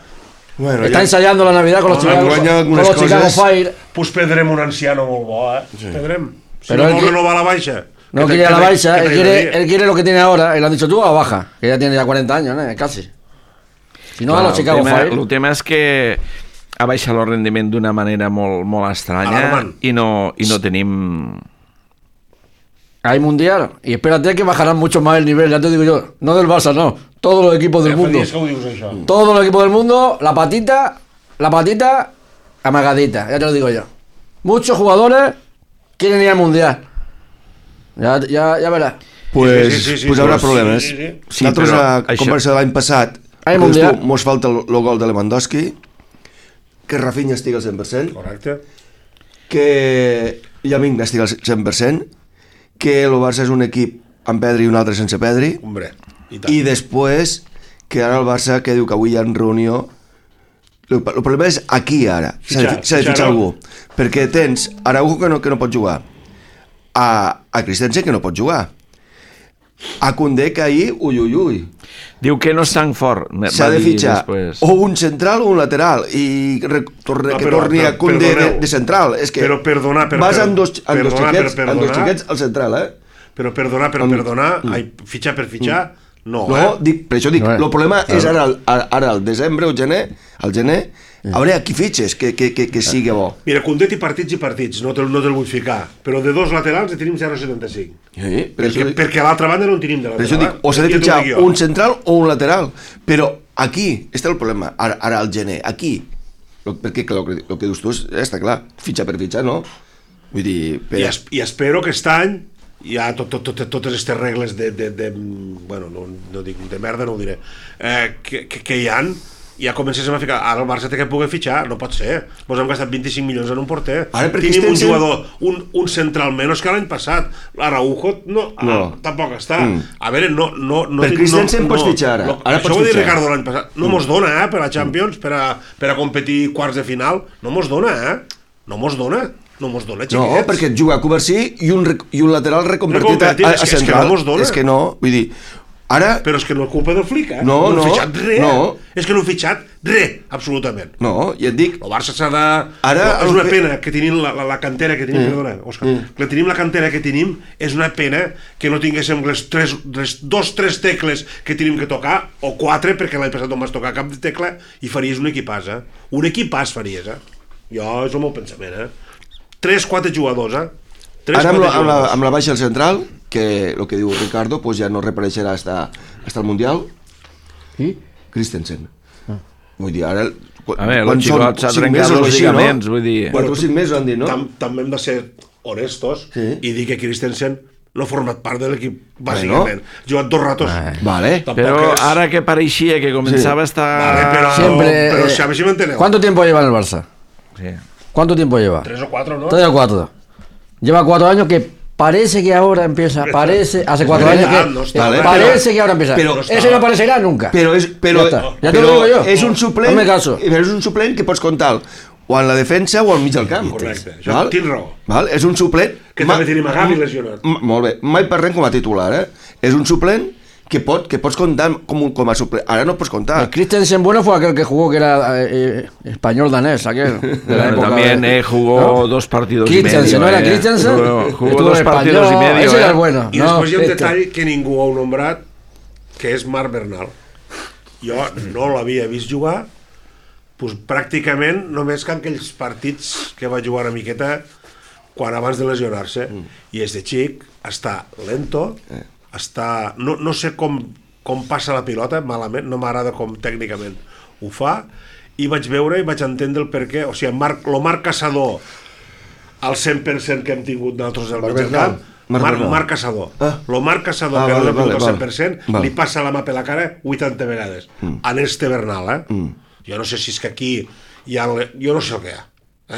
Bueno, Está ja- ensayando la Navidad con los, No, Chicago, enguanya con algunes los Chicago coses. Fire. Pues perdrem un anciano molt bo, eh? Sí. Perdrem. Si Pero no él vol qui- renovar la baixa. No que te- quiere que la te- baixa, que él te quiere, ayudaría. él quiere lo que tiene ahora. Y le han dicho tú a la baja, que ya tiene ya cuarenta años, ¿no? Casi. Si no, a los el, Chicago tema, Fire. el tema és que ha baixat el rendiment d'una manera molt, molt estranya Alarmant. i no, i no tenim... Hay mundial. Y espérate que bajarán mucho más el nivel, ya te digo yo. No del Barça, no. Todos los equipos del Ja fa mundo. dies que ho dius, això. Todos los equipos del mundo, la patita, la patita amagadita, ya te lo digo yo. Muchos jugadores quieren ir al mundial. Ya, ya, ya verás. Pues, Sí, sí, sí, sí, pues sí, haurà sí, problemes. sí, sí. Sí, Nosaltres, però a això- conversa de l'any passat, Ai, dius mundial. tu, mos falta el, el gol de Lewandowski, que Rafinha estigui al cent per cent, Correcte. que Llamin estigui al cent per cent, que el Barça és un equip amb Pedri i un altre sense Pedri, Hombre, i tant. i després que ara el Barça que diu que avui hi ha reunió. El, el problema és aquí ara, s'ha de, Fitxar, s'ha de fitxar, fitxar no? algú, perquè tens Araujo que no, que no pot jugar, a, a Christensen que no pot jugar, a Koundé que ahir, ui, ui, ui, Diu que no és tan fort. me- s'ha va de dir fitxar després. o un central o un lateral i re, torne, No, que però- torni però a Koundé de, perdoneu. de central. És que Però perdonar, per- vas per- amb dos, amb dos, perdonar, xiquets, per amb dos perdonar. xiquets al central, eh? Però perdonar, però Amb- perdonar, ai, fitxar per fitxar, no, No, eh? dic, per això dic, No, eh? el problema Claro. és ara, al- ara al desembre o gener, al gener, a veure a qui fitxes que, que, que, que sigui bo. Mira, Koundé té partits i partits, no te'l no te vull ficar, però de dos laterals en tenim zero coma setanta-cinc. Sí, per Perquè, això, dic- perquè a l'altra banda no en tenim de per lateral. això dic, o s'ha de Ja t'ho fitxar dic jo. un central o un lateral, però aquí està el problema, ara, ara al gener, aquí, Lo- perquè el que, el que dius tu és, està clar, fitxar per fitxar, no? Vull dir, per... I, es, I espero que aquest any ja tot, tot, tot, totes aquestes regles de, de, de bueno, no, no dic de merda, no ho diré, eh, que, que, que hi han, ja comencéssim a ficar, ara el Barça té que poder fitxar, no pot ser, mos hem gastat vint-i-cinc milions en un porter, ara, tenim un Christensen... jugador, un, un central menys que l'any passat, l'Araujo no, no. Ah, tampoc està, mm. a veure, no, no, no per Christensen no, pots no, fitxar ara, no, ara això pots ho va dir fitxar. Ricardo l'any passat, no mm. mos dona eh, per a Champions, per a, per a competir quarts de final, no mos dona eh, no mos dona no mos dona, xiquets. No, perquè et juga a Covarsí i un, i un lateral reconvertit a, a, a és central. És que no mos dona. És que no, vull dir, ara... Però és que no és culpa del Flick, eh? No, no. No he fitxat res. No. És que no he fitxat res, absolutament. No, ja et dic... El Barça s'ha de... Ara, no, és una que... pena que tenim la, la, la cantera que tenim, mm. perdona, Òscar, mm. que tenim la cantera que tenim, és una pena que no tinguéssim les, tres, les dos, tres tecles que tenim que tocar, o quatre, perquè l'any passat no vas tocar cap de tecla, i faries un equipàs, eh? Un equipàs faries, eh? Jo, és el meu pensament, eh? Tres, quatre jugadors, eh? Tres, Ara amb la, amb, la, jugadors. amb la baixa al central, que el que diu Ricardo, pues ja no reapareixerà hasta, hasta el Mundial. I? Christensen. Ah. Vull dir, ara... A veure, el xicot s'ha trencat els lligaments, vull dir... Quatre o cinc mesos han dit, no? Tam, també hem de ser honestos sí. i dir que Christensen no ha format part de l'equip, bàsicament. Ha jugat dos ratos. Ah, vale. Però és... ara que pareixia que començava sí. a estar... Vale, però, Siempre, però eh, si a ver si m'enteneu. ¿Cuánto tiempo lleva en el Barça? Sí. ¿Cuánto tiempo lleva? Tres o cuatro, ¿no? Tres o cuatro. Lleva cuatro años que parece que ahora empieza. Parece, hace cuatro no años está, que no está, eh, pero, parece que ahora empieza. Pero, no ese no aparecerá nunca. Però és, però, Ja està. Ja però te lo digo yo. és un suplent, Hazme caso. però és un suplent que pots comptar o en la defensa o al mig del camp. Correcte, això tinc raó. Val? És un suplent... Que ma- també tenim a Gavi lesionat. M- Molt bé, mai parlem com a titular, eh? És un suplent que, pot, que pots comptar com, un, com a suplent. Ara no pots comptar. El Christensen bueno fue aquel que jugó que era eh, español danés, aquel. De la Bueno, época también de- eh, jugó ¿no? dos partidos y medio. Christensen, ¿no era eh. Christensen? Jugó, jugó Estuvo dos en partidos y español, medio. ese eh. era el bueno. I No, després hi ha un este. detall que ningú ha nombrat, que és Marc Bernal. Jo no l'havia vist jugar, doncs pràcticament només que en aquells partits que va jugar una miqueta quan abans de lesionar-se. Mm. I és de xic, està lento, eh. està... No, no sé com, com passa la pilota, malament, no m'agrada com tècnicament ho fa, i vaig veure i vaig entendre el perquè, o sigui, Marc, lo Marc Caçador al cent per cent que hem tingut nosaltres al mig del camp, Marc Marc, Bernal. Marc Caçador. Ah. Lo Marc Caçador, Ah, que vale, no l'ha vale, tingut al vale. cent per cent, Vale. li passa la mà per la cara vuitanta vegades. Mm. En este Bernal, eh? Mm. Jo no sé si és que aquí hi ha... Jo no sé el que hi ha,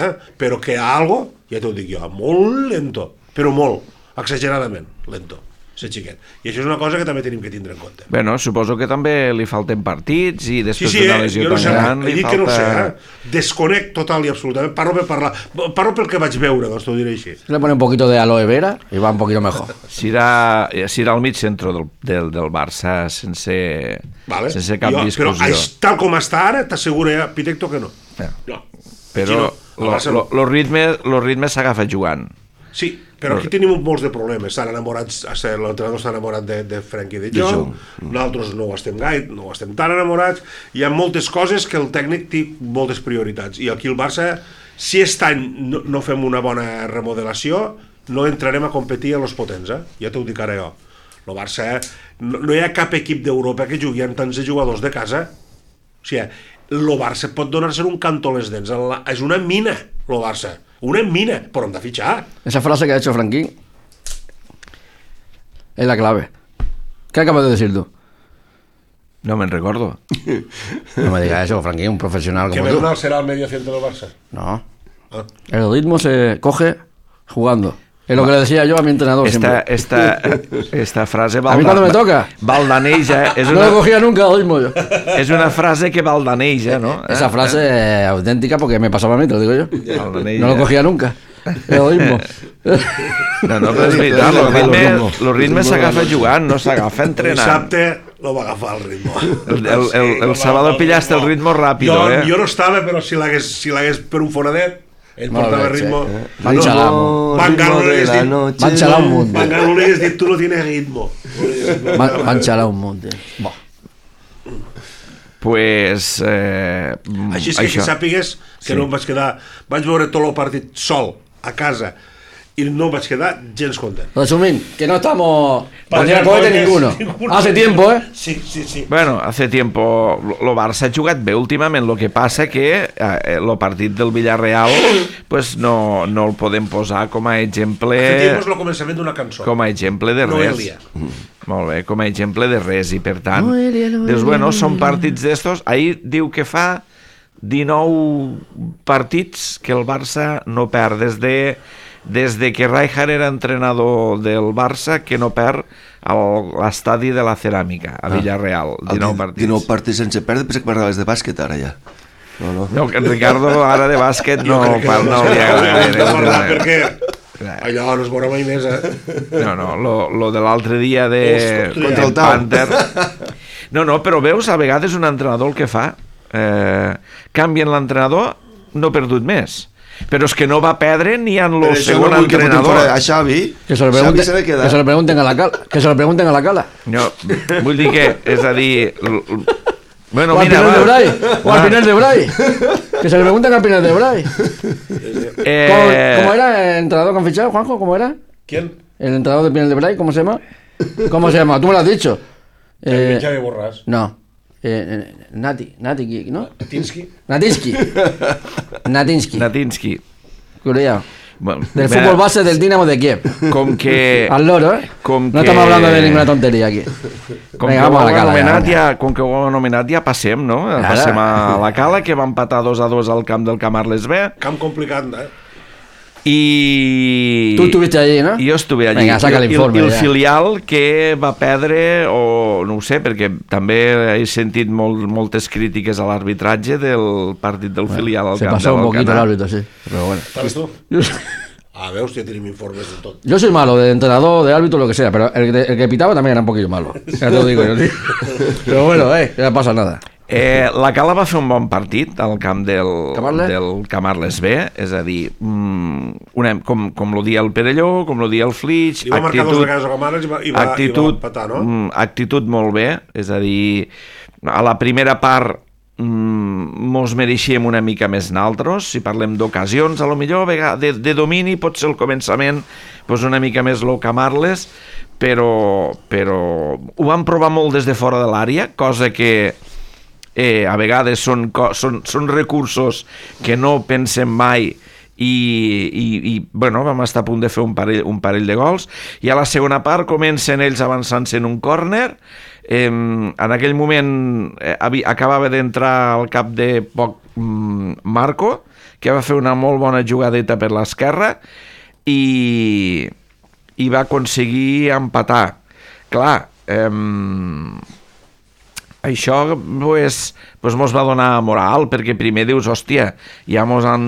eh? Però que hi ha algo, ja t'ho dic jo, molt lento, però molt, exageradament lento, ser xiquet. I això és una cosa que també tenim que tindre en compte. Bueno, suposo que també li falten partits i Sí, després sí, d'una eh? lesió Jo no tan sé, gran he li dit que no ho sé, falta... eh? Desconec total i absolutament, parlo per parlar, parlo pel que vaig veure, doncs t'ho diré així. Le pone un poquito de aloe vera y va un poquito mejor. Serà, serà al mig centre del, del, del Barça sense, Vale. sense cap jo, discussió. Però aix, tal com està ara, t'asseguro ja, Pitecto, que no. Ja. No. Però no. lo, Barça lo, no. lo ritme, lo ritme s'agafa jugant. Sí, però aquí tenim molts de problemes. Estan enamorats, l'entrenador està enamorat de, de Frenkie de Jong, nosaltres no ho estem gaire, no ho estem tan enamorats. Hi ha moltes coses que el tècnic té moltes prioritats. I aquí el Barça, si aquest any no, no fem una bona remodelació, no entrarem a competir a los potents, eh? Ja t'ho dic ara jo. El Barça, no, no hi ha cap equip d'Europa que jugui amb tants jugadors de casa. O sigui, el Barça pot donar-se un canto a les dents. La, és una mina, el Barça. Una mina, però hem de fitxar. Esa frase que ha hecho Franquín es la clave. ¿Qué acabas de decir tú? No me'n recordo. No me digas eso, Franquín, un profesional Que como tú. Bernal serà el medio centro del Barça. No. Ah. El ritmo se coge jugando. Es lo que le decía yo a mi entrenador Esta, siempre. esta, esta frase... A mí cuando me toca. Baldaneja, és No lo una, cogía nunca el ritmo yo. és una frase que baldaneja, no? Esa frase es auténtica porque me pasaba a mí, te lo digo yo. Baldaneja. No lo cogía nunca. El ritmo. No, no, però és veritat, el ritme, el ritme s'agafa jugant, no s'agafa entrenant. Dissabte lo va agafar el ritmo. El, el, el, el sábado pillaste el ritmo rápido, jo, eh? jo no estava, però si l'hagués si l'hagués per un foradet, ell Molt portava bé, ritmo. sí. Van xalamo. Van Gaal no li hagués dit, Van xalar un munt. Van Gaal no li hagués dit, tu no tienes ritmo. Van, van xalar un munt. Bo. Pues... Eh, Així és que, que sàpigues que Sí. no em vaig quedar... Vaig veure tot el partit sol, a casa, i no vaig quedar gens content. Resumint, que no estamos... Para Para cohete ninguno. ninguno. Hace tiempo, ¿eh? Sí, sí, sí. Bueno, hace tiempo lo Barça ha jugat bé últimament, lo que passa que eh, el partit del Villarreal pues no, no el podem posar com a exemple Hace tiempo és el començament d'una cançó. com a exemple de res. Noelia. Molt bé, com a exemple de res, i per tant Noelia, Noelia, dius, bueno, són Noelia. partits d'estos. Ahir diu que fa dinou partits que el Barça no perd des de des de que Rijkaard era entrenador del Barça, que no perd a l'estadi de la Ceràmica a Villarreal, dinou partits. dinou partits sense perdre, pensé que parlaves de bàsquet ara ja. No, no. No, que en Ricardo ara de bàsquet no, Jo crec que pa- no li agrada de parlar gaire. perquè allò no es veurà mai més, eh? No, no, lo, lo de l'altre dia de Ostres, contra el de Tau. Panther. No, no, però veus, a vegades un entrenador el que fa, eh, canvien l'entrenador, no ha perdut més. Però és que no va perdre ni en Per el això segon no vull que fotin entrenador. fora a Xavi. Que se lo Xavi pregunten, s'ha de quedar. que se lo pregunten a la cala. Que se lo pregunten a la cala. No, vull dir que, és a dir... l- l- Bueno, O al mira, final de va. Bray. O al Va. final de Bray. Que se lo pregunten al final de Bray. Eh, ¿Cómo, cómo era el entrenador que han fichado, Juanjo? ¿Cómo era? ¿Quién? El entrenador de Pinel de Bray, ¿cómo se llama? ¿Cómo se llama? Tú me lo has dicho. Eh, Javi Borràs. no. Eh, eh, Nati, Nati, ¿no? Tinsky. Natinsky. Natinsky. Natinsky. Cuidado. Bueno, Del mira, fútbol base del Dinamo de Kiev. Com que... Al loro, ¿eh? Com no que- estamos hablando de ninguna tontería aquí. Com Vinga, que ho vamos a la hem cala. anomenat, ja, ja, com que ho hem anomenat, ja passem, no? Ara. Passem a la cala, que va empatar dos a dos al camp del Camarles B. Camp complicat, eh? I... Tú estuviste allí, ¿no? Jo estuve allí. Vinga, saca I- l'informe, I el ja. filial que va perdre, o no ho sé, perquè també he sentit molt, moltes crítiques a l'arbitratge del partit del filial al Se camp pasó de un poquito el l'Alcanar. árbitro, sí. Pero bueno. ¿Sabes tú? Yo, Ah, veus, ja tenim informes de tot. yo soy malo, de entrenador, de árbitro, lo que sea, pero el, el que pitaba también era un poquillo malo. Ya te lo digo yo, tío. Pero bueno, eh, no pasa nada. Eh, la Cala va fer un bon partit al camp del Camarles? del Camarles B, és a dir, mm, una, com, com lo dia el Perelló, com lo dia el Flix, Li va marcar dos vegades a Camarles i va, i va, actitud, i va empatar, no? mm, actitud molt bé, és a dir, a la primera part mm, mos mereixíem una mica més naltros, si parlem d'ocasions, a lo millor vega- de, de domini pot ser el començament pues una mica més lo Camarles, però, però ho van provar molt des de fora de l'àrea, cosa que eh, a vegades són, co- són, són recursos que no pensem mai i, i, i bueno, vam estar a punt de fer un parell, un parell de gols, i a la segona part comencen ells avançant-se en un córner. Eh, en aquell moment eh, havia, acabava d'entrar al cap de poc mm, Marco, que va fer una molt bona jugadeta per l'esquerra i, i va aconseguir empatar. Clar, eh, això pues, pues mos va donar moral, perquè primer dius, hòstia, ja mos han,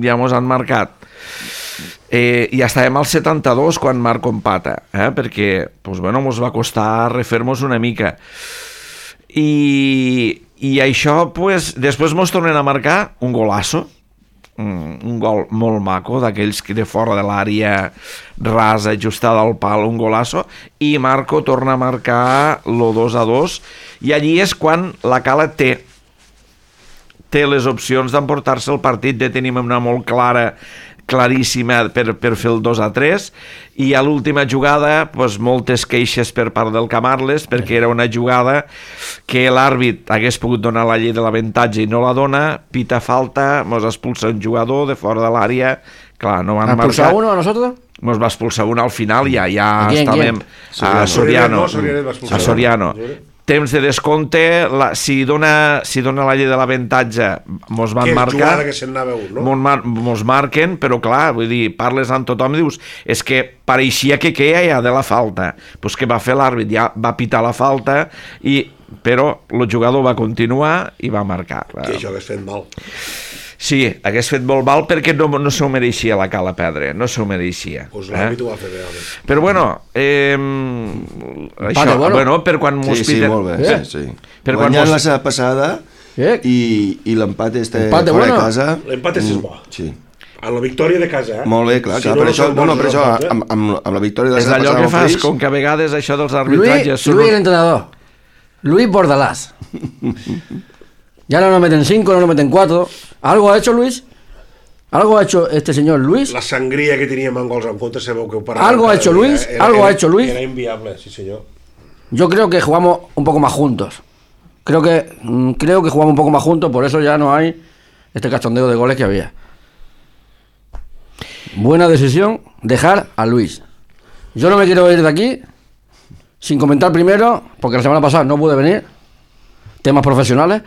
ja mos han marcat. Eh, I estàvem al setanta-dos quan Marco empata, eh? perquè pues, bueno, mos va costar refer-nos una mica. I, i això, pues, després mos tornen a marcar un golasso, un, un gol molt maco, d'aquells que de fora de l'àrea rasa, ajustada al pal, un golasso, i Marco torna a marcar lo dos a dos, i allí és quan la Cala té té les opcions d'emportar-se el partit, de tenir una molt clara, claríssima per, per fer el dos a tres, i a l'última jugada pues, moltes queixes per part del Camarles, perquè era una jugada que l'àrbit hagués pogut donar la llei de l'avantatge i no la dona, pita falta, mos expulsa un jugador de fora de l'àrea, clar, no van ¿Ha expulsado marcar, uno a nosotros? mos va expulsar un al final, ja, ja ¿A quién, estàvem quién? a Soriano, No, Soriano va expulsar. a Soriano. Temps de descompte, la, si, dona, si dona la llei de l'avantatge mos van Que marcar, jugada que se'n anava un, no? mos, mar, mos marquen, però clar, vull dir, parles amb tothom i dius, és que pareixia que queia ja de la falta, pues que va fer l'àrbit, ja va pitar la falta, i, però el jugador va continuar i va marcar. Que això hagués fet mal. Sí, hagués fet molt mal perquè no, no s'ho mereixia la Cala perdre, no s'ho mereixia. Pues eh? l'àrbit ho va fer bé. home. Però bueno, eh, això, bueno. bueno, per quan mos Sí, sí, piten- molt bé. Eh? Sí, sí. Per quan Guanyant mos- la setmana passada Eh? i, i l'empat este Empate fora bueno. de casa. L'empat és Mm, bo. Sí. A la victòria de casa, eh? Molt bé, clar, Si clar. no, per no això, són no, no, bons per això resultats, eh? amb, amb, amb la victòria de la és setmana allò passada que amb el fas, Flix, com que a vegades això dels Luis, arbitratges són... Luis el entrenador. Luis ¿Algo ha hecho este señor Luis? La sangría que teníem en gols en contra, sabeu que ho parava. ¿Algo ha hecho Luis? Era, ¿Algo era, ha hecho Luis? Era inviable, sí señor. Yo creo que jugamos un poco más juntos. Creo que mm, creo que jugamos un poco más juntos, por eso ya no hay este cachondeo de goles que había. Buena decisión dejar a Luis. Yo no me quiero ir de aquí sin comentar primero, porque la semana pasada no pude venir, temas profesionales.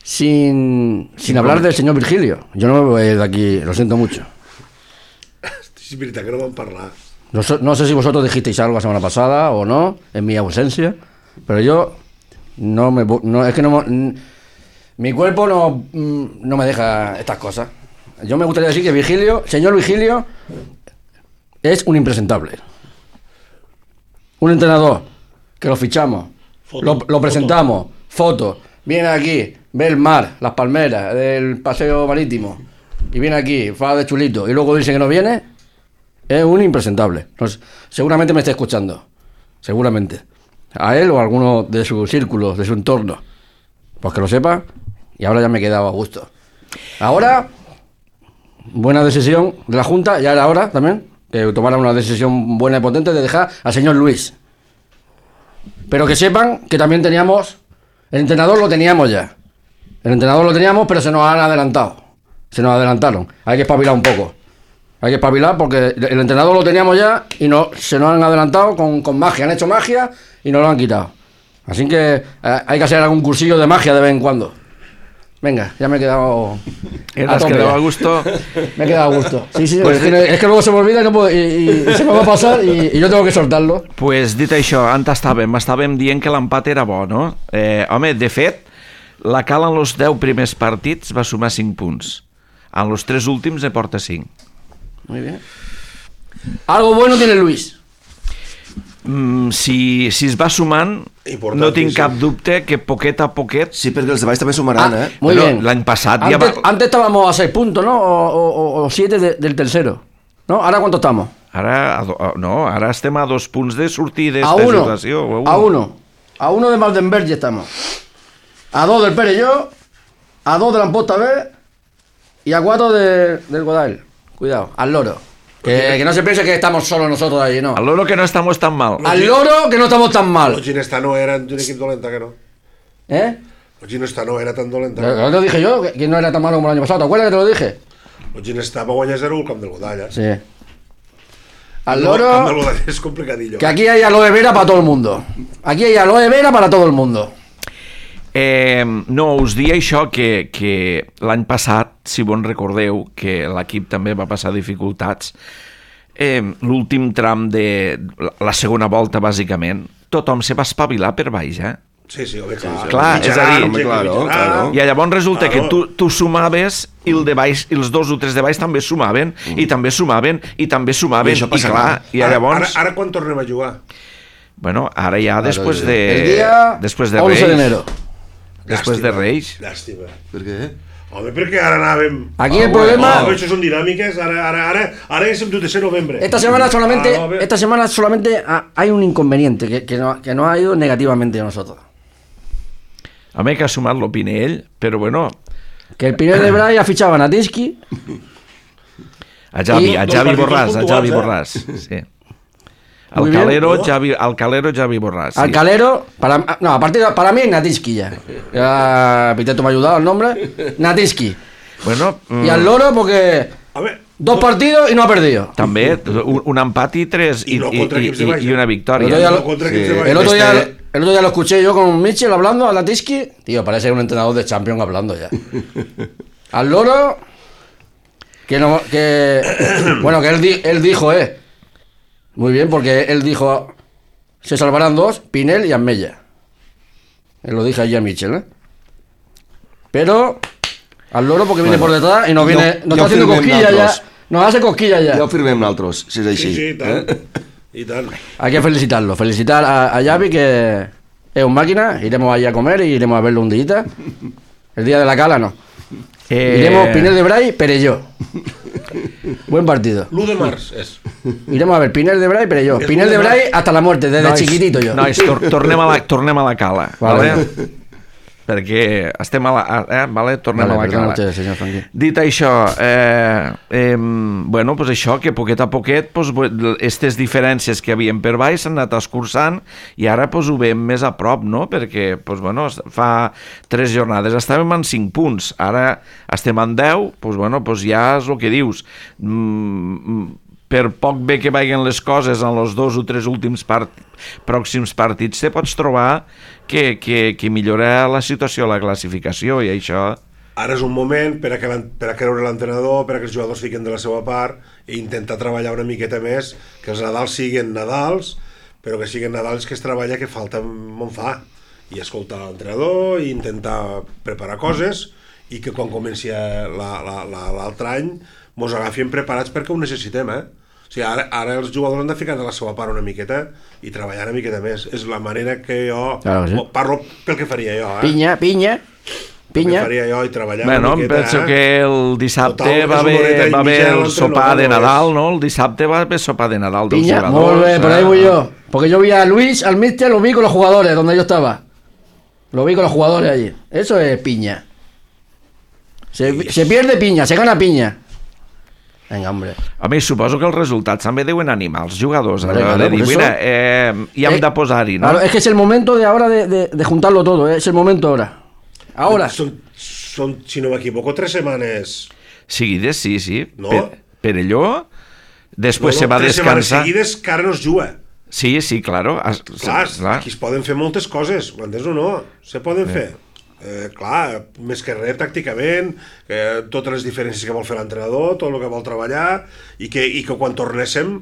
sin sin hablar del señor Virgilio. Yo no me voy a ir de aquí, lo siento mucho. És veritat que no vam parlar. No, so- no sé si vosotros dijisteis algo la semana pasada o no, en mi ausencia, pero yo no me... vo- No, es que no... mo- n- Mi cuerpo no, mm, no me deja estas cosas. Yo me gustaría decir que Virgilio, señor Virgilio, es un impresentable. Un entrenador que lo fichamos, Foto, lo, lo foto. presentamos, fotos, viene aquí, ve el mar, las palmeras, el paseo marítimo, y viene aquí, fa de chulito, y luego dice que no viene, es un impresentable. No sé, seguramente me está escuchando, seguramente. A él o a alguno de su círculo, de su entorno. Pues que lo sepa, y ahora ya me he quedado a gusto. Ahora, buena decisión de la Junta, ya era hora también, que tomara una decisión buena y potente de dejar al señor Luis. Pero que sepan que también teníamos, el entrenador lo teníamos ya. El entrenador lo teníamos, pero se nos han adelantado. Se nos adelantaron. Hay que espabilar un poco. Hay que espabilar porque el entrenador lo teníamos ya y no, se nos han adelantado con, con magia. Han hecho magia y nos lo han quitado. Así que eh, hay que hacer algún cursillo de magia de vez en cuando. Venga, ya me he quedado... ¿Te a has tope quedado ya. a gusto? Me he quedado a gusto. Sí, sí, es, que, es que luego se me olvida y, no puedo, y, y- y se me va a pasar y, y yo tengo que soltarlo. Pues dit això, on estàvem? Estàvem dient que l'empat era bo, no? Eh, home, de fet, la Cal en els deu primers partits va sumar cinc punts. En els tres últims ne porta cinc. Muy bien. Algo bueno tiene Luis. Mm, si, si es va sumant, Importantíssim. no tinc cap dubte que poquet a poquet... Sí, perquè els de baix també sumaran, Ah, eh? muy Bueno, bien. l'any passat ja Antes, va... antes estábamos a seis puntos, ¿no? O, o, o- o siete de- del tercero. ¿No? ¿Ahora cuánto estamos? Ara, a do- a- no, ara estem a dos punts de sortir A d'esta uno. situació. o A uno. A uno de Maldenberg ya estamos. A dos del Perelló. A dos de la Amposta B. Y a cuatro de, del Godal. Cuidado, al loro. Que, que no se piense que estamos solo nosotros ahí, no. Al loro que no estamos tan mal. Al loro que no estamos tan mal. El Ginestà no era un equip dolenta, que no. ¿Eh? El Ginestà no era tan dolenta. Lo, lo dije yo, que, que no era tan malo como el año pasado. ¿Te acuerdas que te lo dije? El Ginestà va guanyar zero al camp del Godalla. Sí. Al El camp del loro, Godalla és complicadillo. que aquí hay aloe vera para todo el mundo. Aquí hay aloe vera para todo el mundo. Eh, no, us dia això, que, que l'any passat, si bon recordeu, que l'equip també va passar dificultats, eh, l'últim tram de la, la segona volta, bàsicament, tothom se va espavilar per baix, eh? Sí, sí, home, clar. Clar, és a dir, Mitjaran, home, claro, mitjaran. claro. I llavors resulta Claro. que tu, tu sumaves i el de baix, i els dos o tres de baix també sumaven, mm. i també sumaven, i també sumaven, I això i passa clar, clar. i Ara, llavors... ara, ara quan tornem a jugar? Bueno, ara ja després sí. de... El día després de once de Reis. enero. Després de Reis. Llàstima. Per què? Home, perquè ara anàvem... Aquí el Ah, problema- home, això són dinàmiques. Ara, ara, ara, ara és el dotze de novembre. Esta semana solamente, Ah, no, a ver. esta semana solamente ha- hay un inconveniente que, que, no, que nos ha ido negativamente a nosotros. Home, que ha sumat l'Opinell, però bueno, Que el Pinel de Bray ha fichado a Natinsky. a Javi, I- a dos Javi partits Borràs, a puntuals, Javi eh? Borràs, sí. Muy Al bien. Calero, ¿no? Javi, al Calero, Javi Borràs, sí. Al Calero, para, no, a partir de- para mí es Natinsky ya. Ya Piteto me ha ayudado el nombre. Natinsky. Bueno, mm, Y al Loro porque A ver, dos partidos y no ha perdido. també un, un empat i tres i, I no i, contra i, equips de i, baix, i eh? una El victòria. otro día lo- contra Sí. equips de baix. El otro, Este- día, el otro día lo escuché yo con Mitchell hablando a Natinsky. Tío, parece un entrenador de Champions hablando ya. Al Loro, que no, que bueno, que él, di- él dijo, eh. Muy bien, porque él dijo, se salvarán dos, Pinel y Amella. Él lo dije allí a Mitchell, eh. Pero al Loro porque viene Bueno, por detrás y nos jo- viene, nos jo está haciendo firmem cosquillas ya. nosaltres. Nos hace cosquillas ya. Ja ho firmem nosaltres, si és així. Sí, sí, i tant. Eh? I tant. Hay que felicitarlo, felicitar a, a Xavi, que es un máquina. Iremos allí a comer y iremos a verlo un día. El día de la cala no. Eh, Iremos Pinel de Bray, Perelló. Buen partido. l'u de març és. Iremos a ver Pinel de Bray, Perelló. Es Pinel de una- Bray hasta la muerte, desde nois, chiquitito yo. Nois, tor tornem, a la, tornem a la cala. Vale. Vale. perquè estem a la... Eh, vale? Tornem Vale, a la perdona cala. usted, senyor Franqui. Dit això, eh, eh, bueno, pues això, que poquet a poquet, pues, aquestes diferències que havien per baix s'han anat escurçant i ara pues, ho veiem més a prop, no? Perquè pues, bueno, fa tres jornades estàvem en cinc punts, ara estem en deu, pues, bueno, pues, ja és el que dius. Mm, per poc bé que vagin les coses en els dos o tres últims part... pròxims partits, te pots trobar que, que, que millora la situació a la classificació i això... Ara és un moment per a, que per a creure l'entrenador, per a que els jugadors fiquen de la seva part i intentar treballar una miqueta més, que els Nadals siguin Nadals, però que siguin Nadals que es treballa que falta on fa, i escoltar l'entrenador i intentar preparar coses i que quan comenci l'altre any mos agafin preparats perquè ho necessitem, eh? O sigui, ara, ara els jugadors han de ficar de la seva part una miqueta i treballar una miqueta més. És la manera que jo... Claro, sí. Parlo pel que faria jo, eh? Pinya, pinya, pinya. El que faria jo i treballar bueno, una miqueta... penso eh? que el dissabte Total, va és una haver, horeta i va haver mitja el l'entrenador, sopar de no és? Nadal, no? El dissabte va haver sopar de Nadal dels Piña, jugadors. muy bien, por ahí eh? voy yo. Porque yo vi a Luis, al míster, lo vi con los jugadores, donde yo estaba. Lo vi con los jugadores allí. Eso es piña. Se, se pierde piña, se gana piña. Venga, hombre. A més, suposo que els resultats també deuen animar els jugadors. Vale, Vale, claro, de dir, por eso- mira, eh, hi hem Eh, de posar-hi, no? Claro, es que es el momento de ahora de, de, de juntarlo todo, ¿eh? Es el momento ahora. Ahora. Són, són, si no m'equivoco, tres setmanes... Seguides, sí, sí. No. Per, Perelló, després no, se va tres setmanes descansar. seguides que ara no es juga. Sí, sí, claro. Es, Clar, clar. aquí es poden fer moltes coses, m'entens o no? Se poden fer. Eh, clar, més que res, tàcticament, eh, totes les diferències que vol fer l'entrenador, tot el que vol treballar, i que, i que quan tornéssim,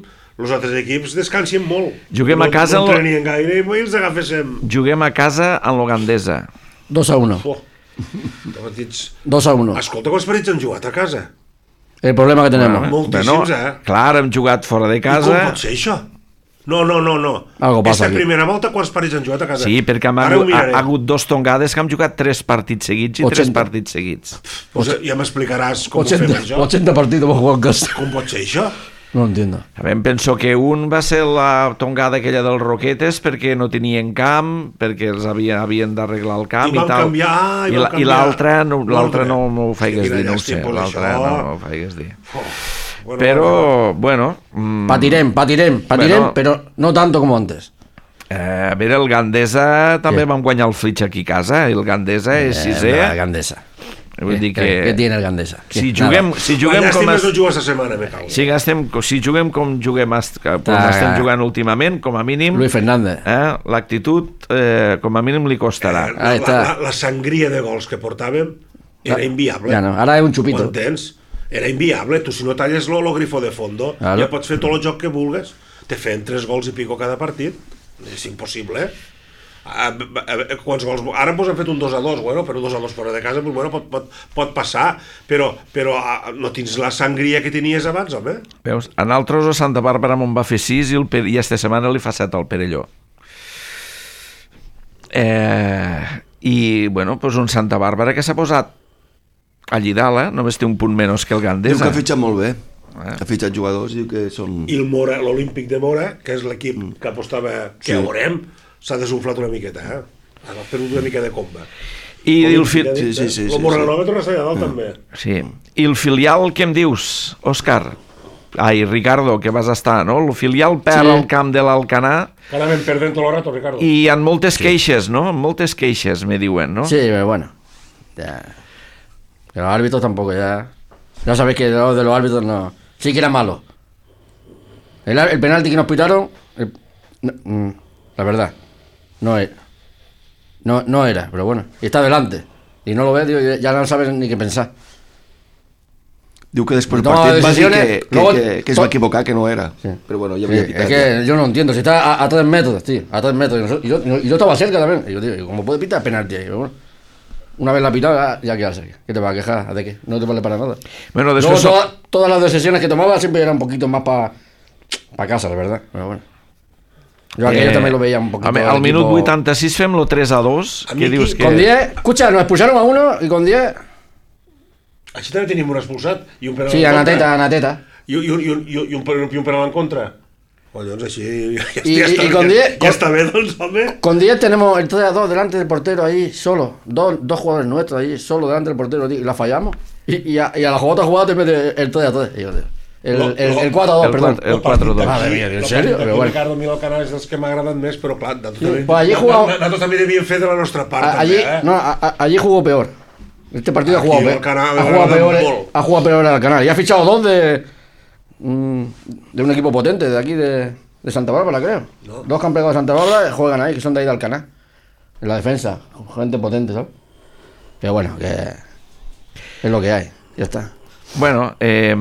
els altres equips descansin molt. Juguem no, a casa No en lo- entrenien gaire i els agaféssim. Juguem a casa en l'Ugandesa. dos a uno. Oh, partits... dos a uno. Escolta, quants partits han jugat a casa? El problema que tenemos. Moltíssims, eh? Clar, hem jugat fora de I com casa. pot ser això? No, no, no, no. Algo passa Aquesta aquí. primera volta, quants partits han jugat a casa? Sí, perquè hem Ara ho hagut, ha, miraré. ha hagut dos tongades que hem jugat tres partits seguits i tres ochenta. partits seguits. Pues ja m'explicaràs com ho ochenta, fem això. ochenta partidos hemos jugado en casa. Com pot ser això? No lo entiendo. A veure, em penso que un va ser la tongada aquella dels Roquetes perquè no tenien camp, perquè els havien, havien d'arreglar el camp I i, van tal. canviar, i I, van la, i canviar l'altre no, l'altre no l'ordre. m'ho feigues Quina dir, no ho sé. llàstima, pues L'altre això. no m'ho feigues dir. Oh, bueno, Però, bueno... mm, Patirem, patirem, patirem, Bueno. pero no tanto como antes. Eh, a veure, el Gandesa també Què? vam guanyar el Flitx aquí a casa, i el Gandesa és sisè. Eh, la Gandesa. Vull dir que... ¿Qué tiene el Gandesa? Si ¿Qué? juguem, Nada. si La juguem com... llàstima Es... és no jugar esta setmana, me cago. Si, gastem, si juguem com juguem est- com Ah, estem ah. jugant últimament, com a mínim, Luis Fernández. eh, l'actitud eh, com a mínim li costarà. Eh, Ahí la, está. la, la sangria de gols que portàvem era Ah, inviable. ja no, ara és un Ho chupito. entens? Era inviable. Tu, si no talles lo, lo grifo de fondo, Claro. ja pots fer tot el joc que vulgues. Te feien tres gols i pico cada partit. És impossible, eh? A, a, a, quants gols... Ara ens hem fet un dos a dos, bueno, però un dos a dos fora de casa, pues, bueno, pot, pot, pot passar, però, però a, no tens la sangria que tenies abans, home. Veus? A nosaltres a Santa Bàrbara me'n va fer sis i, el, Per- i esta setmana li fa set al Perelló. Eh, I, bueno, doncs un Santa Bàrbara que s'ha posat allí dalt, eh? Només té un punt menys que el Diu que Gandesa. ha fitxat molt bé. Eh? Ha fitxat jugadors, diu que són... I el Mora, l'Olímpic de Mora, que és l'equip que apostava que Sí. ja veurem, s'ha desunflat una miqueta, eh? Ha perdut una mica de comba. I el, fi... Sí, sí, sí, El sí, Morranova torna a ser a dalt, també. sí. I el filial, què em dius, Òscar? Ai, Ricardo, que vas estar, no? El filial perd Sí. el camp de l'Alcanar Que ara anem perdent tot el rato, Ricardo. i hi ha moltes queixes, no? Moltes queixes, me diuen, no? Sí, pero bueno. Ya. Que los árbitros tampoco, ya. Ya sabéis que lo de los árbitros no. Sí que era malo. El, el penalti que nos pitaron, el- no, mm, la verdad, no era. No, no era, pero bueno. Y está delante. Y no lo ves, digo, ya no sabes ni qué pensar. Diu que després del Toma partit va dir decisiones, que, que, luego- que, que es va equivocar, que no era. Sí. Però bueno, ja Sí, havia es pitat. que yo no entiendo, si está a, a tres metros, tío, a tres metros. Y, nosotros- y yo, y yo estaba cerca también. Y yo digo, ¿cómo puede pitar penalti ahí? Pero bueno, una vez la pitado, ya, ya quedarse. ¿Qué te va a quejar? ¿De qué? No te vale para nada. Bueno, Luego, després... toda- todas las decisiones que tomaba siempre eran un poquito más para pa casa, la verdad. Pero bueno. Yo aquello Eh, también lo veía un poquito. home, del al minut equipo- vuitanta-sis fem-lo tres a dos. A Què mi dius aquí- que... Con diez, escucha, nos expulsaron a uno y con diez. Així també tenim un expulsat i un penal Sí, en a contra. Nateta, a Nateta. I, i, un- i, un- i, un- i, un, i un penal en contra. Collons, així ja, Y- ja, y- està, y con ja, diez- ja està bé, doncs, home. Con diez tenemos el tres a dos delante del portero ahí, solo. Dos, dos jugadores nuestros ahí, solo delante del portero, tío, y la fallamos. Y, y, a, y a la otra jugada te mete el tres a tres. Y yo, tío, El, Lo- el, lo- el cuatro a dos, el perdón. cuatro- el cuatro a dos. Madre mía, ¿en serio? Pero bueno. Ricardo, a mi el canal és dels que m'ha agradat més, però clar, nosaltres, Sí, també, pues allí jugaba- nosaltres també devíem fer de la nostra part, A- allí, també, eh? no, a- a- allí jugó peor. Este partido Aquí ha jugado el peor. Canal Ha me jugado agrada peor, eh, molt. ha jugado peor el canal. Y ha fichado dos de. mm, de un equipo potente, de aquí de, de Santa Bárbara, creo. No. Dos que han pegado de Santa Bárbara juegan ahí, que son de ahí del canal. En la defensa. Gente potente, ¿sabes? Pero bueno, que. Es lo que hay. Ya está. Bueno, eh,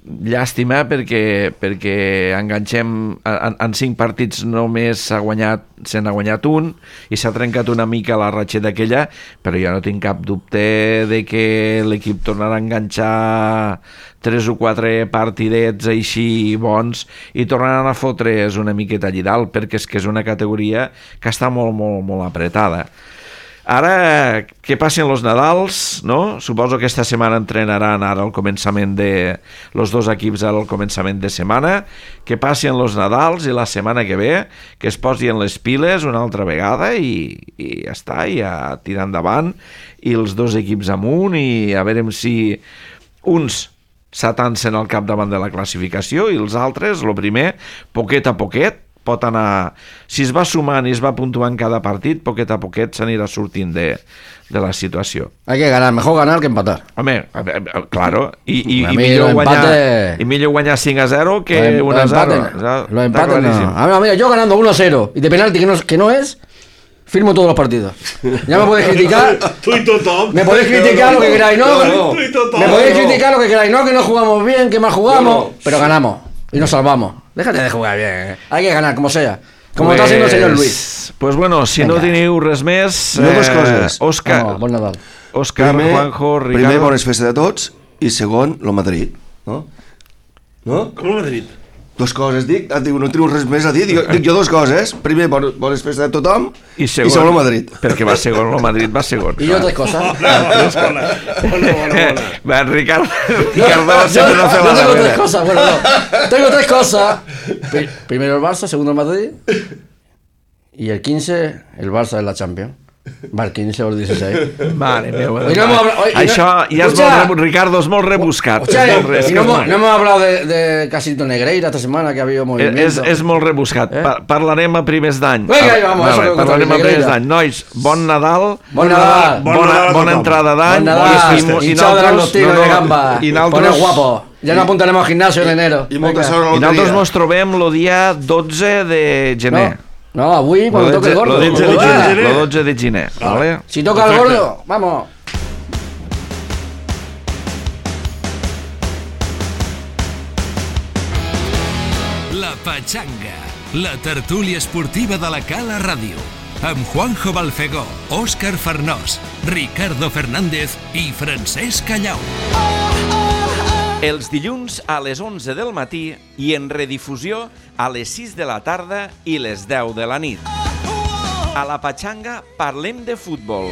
llàstima perquè, perquè enganxem en, en cinc partits només s'ha guanyat, se n'ha guanyat un i s'ha trencat una mica la ratxeta aquella, però jo no tinc cap dubte de que l'equip tornarà a enganxar tres o quatre partidets així bons i tornaran a fotre's una miqueta allí dalt, perquè és que és una categoria que està molt, molt, molt apretada. Ara, que passen los Nadals, no? Suposo que esta setmana entrenaran ara al començament de... los dos equips al començament de setmana, que passen los Nadals i la setmana que ve que es posin les piles una altra vegada i, i ja està, i a tirar endavant i els dos equips amunt i a veure si uns s'atancen al capdavant de la classificació i els altres, el primer, poquet a poquet, pot anar, si es va sumant i es va puntuant cada partit, poquet a poquet s'anirà sortint de, de la situació. Hay que ganar, mejor ganar que empatar. Home, a ver, claro, i, i, A i, mi millor, guanyar, l'empate- i millor guanyar cinc a zero que Los un a zero. empates- Los empates no. A ver, mira, yo ganando uno a cero y de penalti que no, que no es, firmo todos los partidos. Ya me podéis criticar. Tu i tothom. Me podéis criticar lo que queráis, ¿no? Tu i tothom. Me podéis criticar lo que queráis, no que no jugamos bien, que mal jugamos, pero ganamos y nos salvamos. Déjate de jugar bien, ¿eh? Hay que ganar, como sea. Como está haciendo el señor Luis. Pues bueno, si Venga. no teniu res més... Jo dues coses. Òscar, Vamos, bon Nadal. Òscar, Juanjo, Ricardo... primer, bones festes a tots, i segon, lo Madrid. No? No? Com el Madrid? Dos coses, dic, ah, dic, no teniu res més a dir, dic, dic jo dos coses. Primer, bon, bones festes a tothom, I segon, i segon, lo Madrid. Perquè va segon, el Madrid va segon. Y yo tres cosas. Bona, bona, bona, bona. Va, Ricardo, Ricardo sempre no hace Yo la tengo tres nevera. cosas, bueno, no. Tengo tres cosas. Pri- Primero el Barça, segundo el Madrid. Y el quince, el Barça de la Champions. Va, el quince o el dieciséis. Mare meva. Hoy no hemos hablado- hoy- Això hoy no- ja és Escucha. molt, rebus- Ricardo, és molt rebuscat. Hostia, és molt, re- és y que no, és hemos, molt- no hemos hablado de, de Casito Negreira esta semana, que ha habido és, movimiento. és molt rebuscat. Eh? Pa parlarem a primers d'any. Vinga, ahí vamos, Vale, eso que parlarem a contra primers Negreira. d'any. Nois, bon Nadal. Bon Nadal. Bon Bona, Nadal a bona tothom. entrada d'any. Bon Nadal, I- i- i hinchado de nosaltres- langostinos no, de no, gamba. I Poneos nosaltres, guapo. Ya nos apuntaremos al gimnasio en enero. I molta Venga. sort a la i nosaltres loteria. mos trobem el dia dotze de gener. No, no, avui, Lo cuando toque el gordo. dotze de Ué, gener. Lo dotze de gener. Vale? Si toca el Perfecte. gordo, vamos. La Pachanga, la tertúlia esportiva de la Cala Ràdio, amb Juanjo Balfegó, Òscar Farnós, Ricardo Fernández i Francesc Callau. Els dilluns a les onze del matí i en redifusió a les sis de la tarda i les deu de la nit. A la Pachanga parlem de futbol.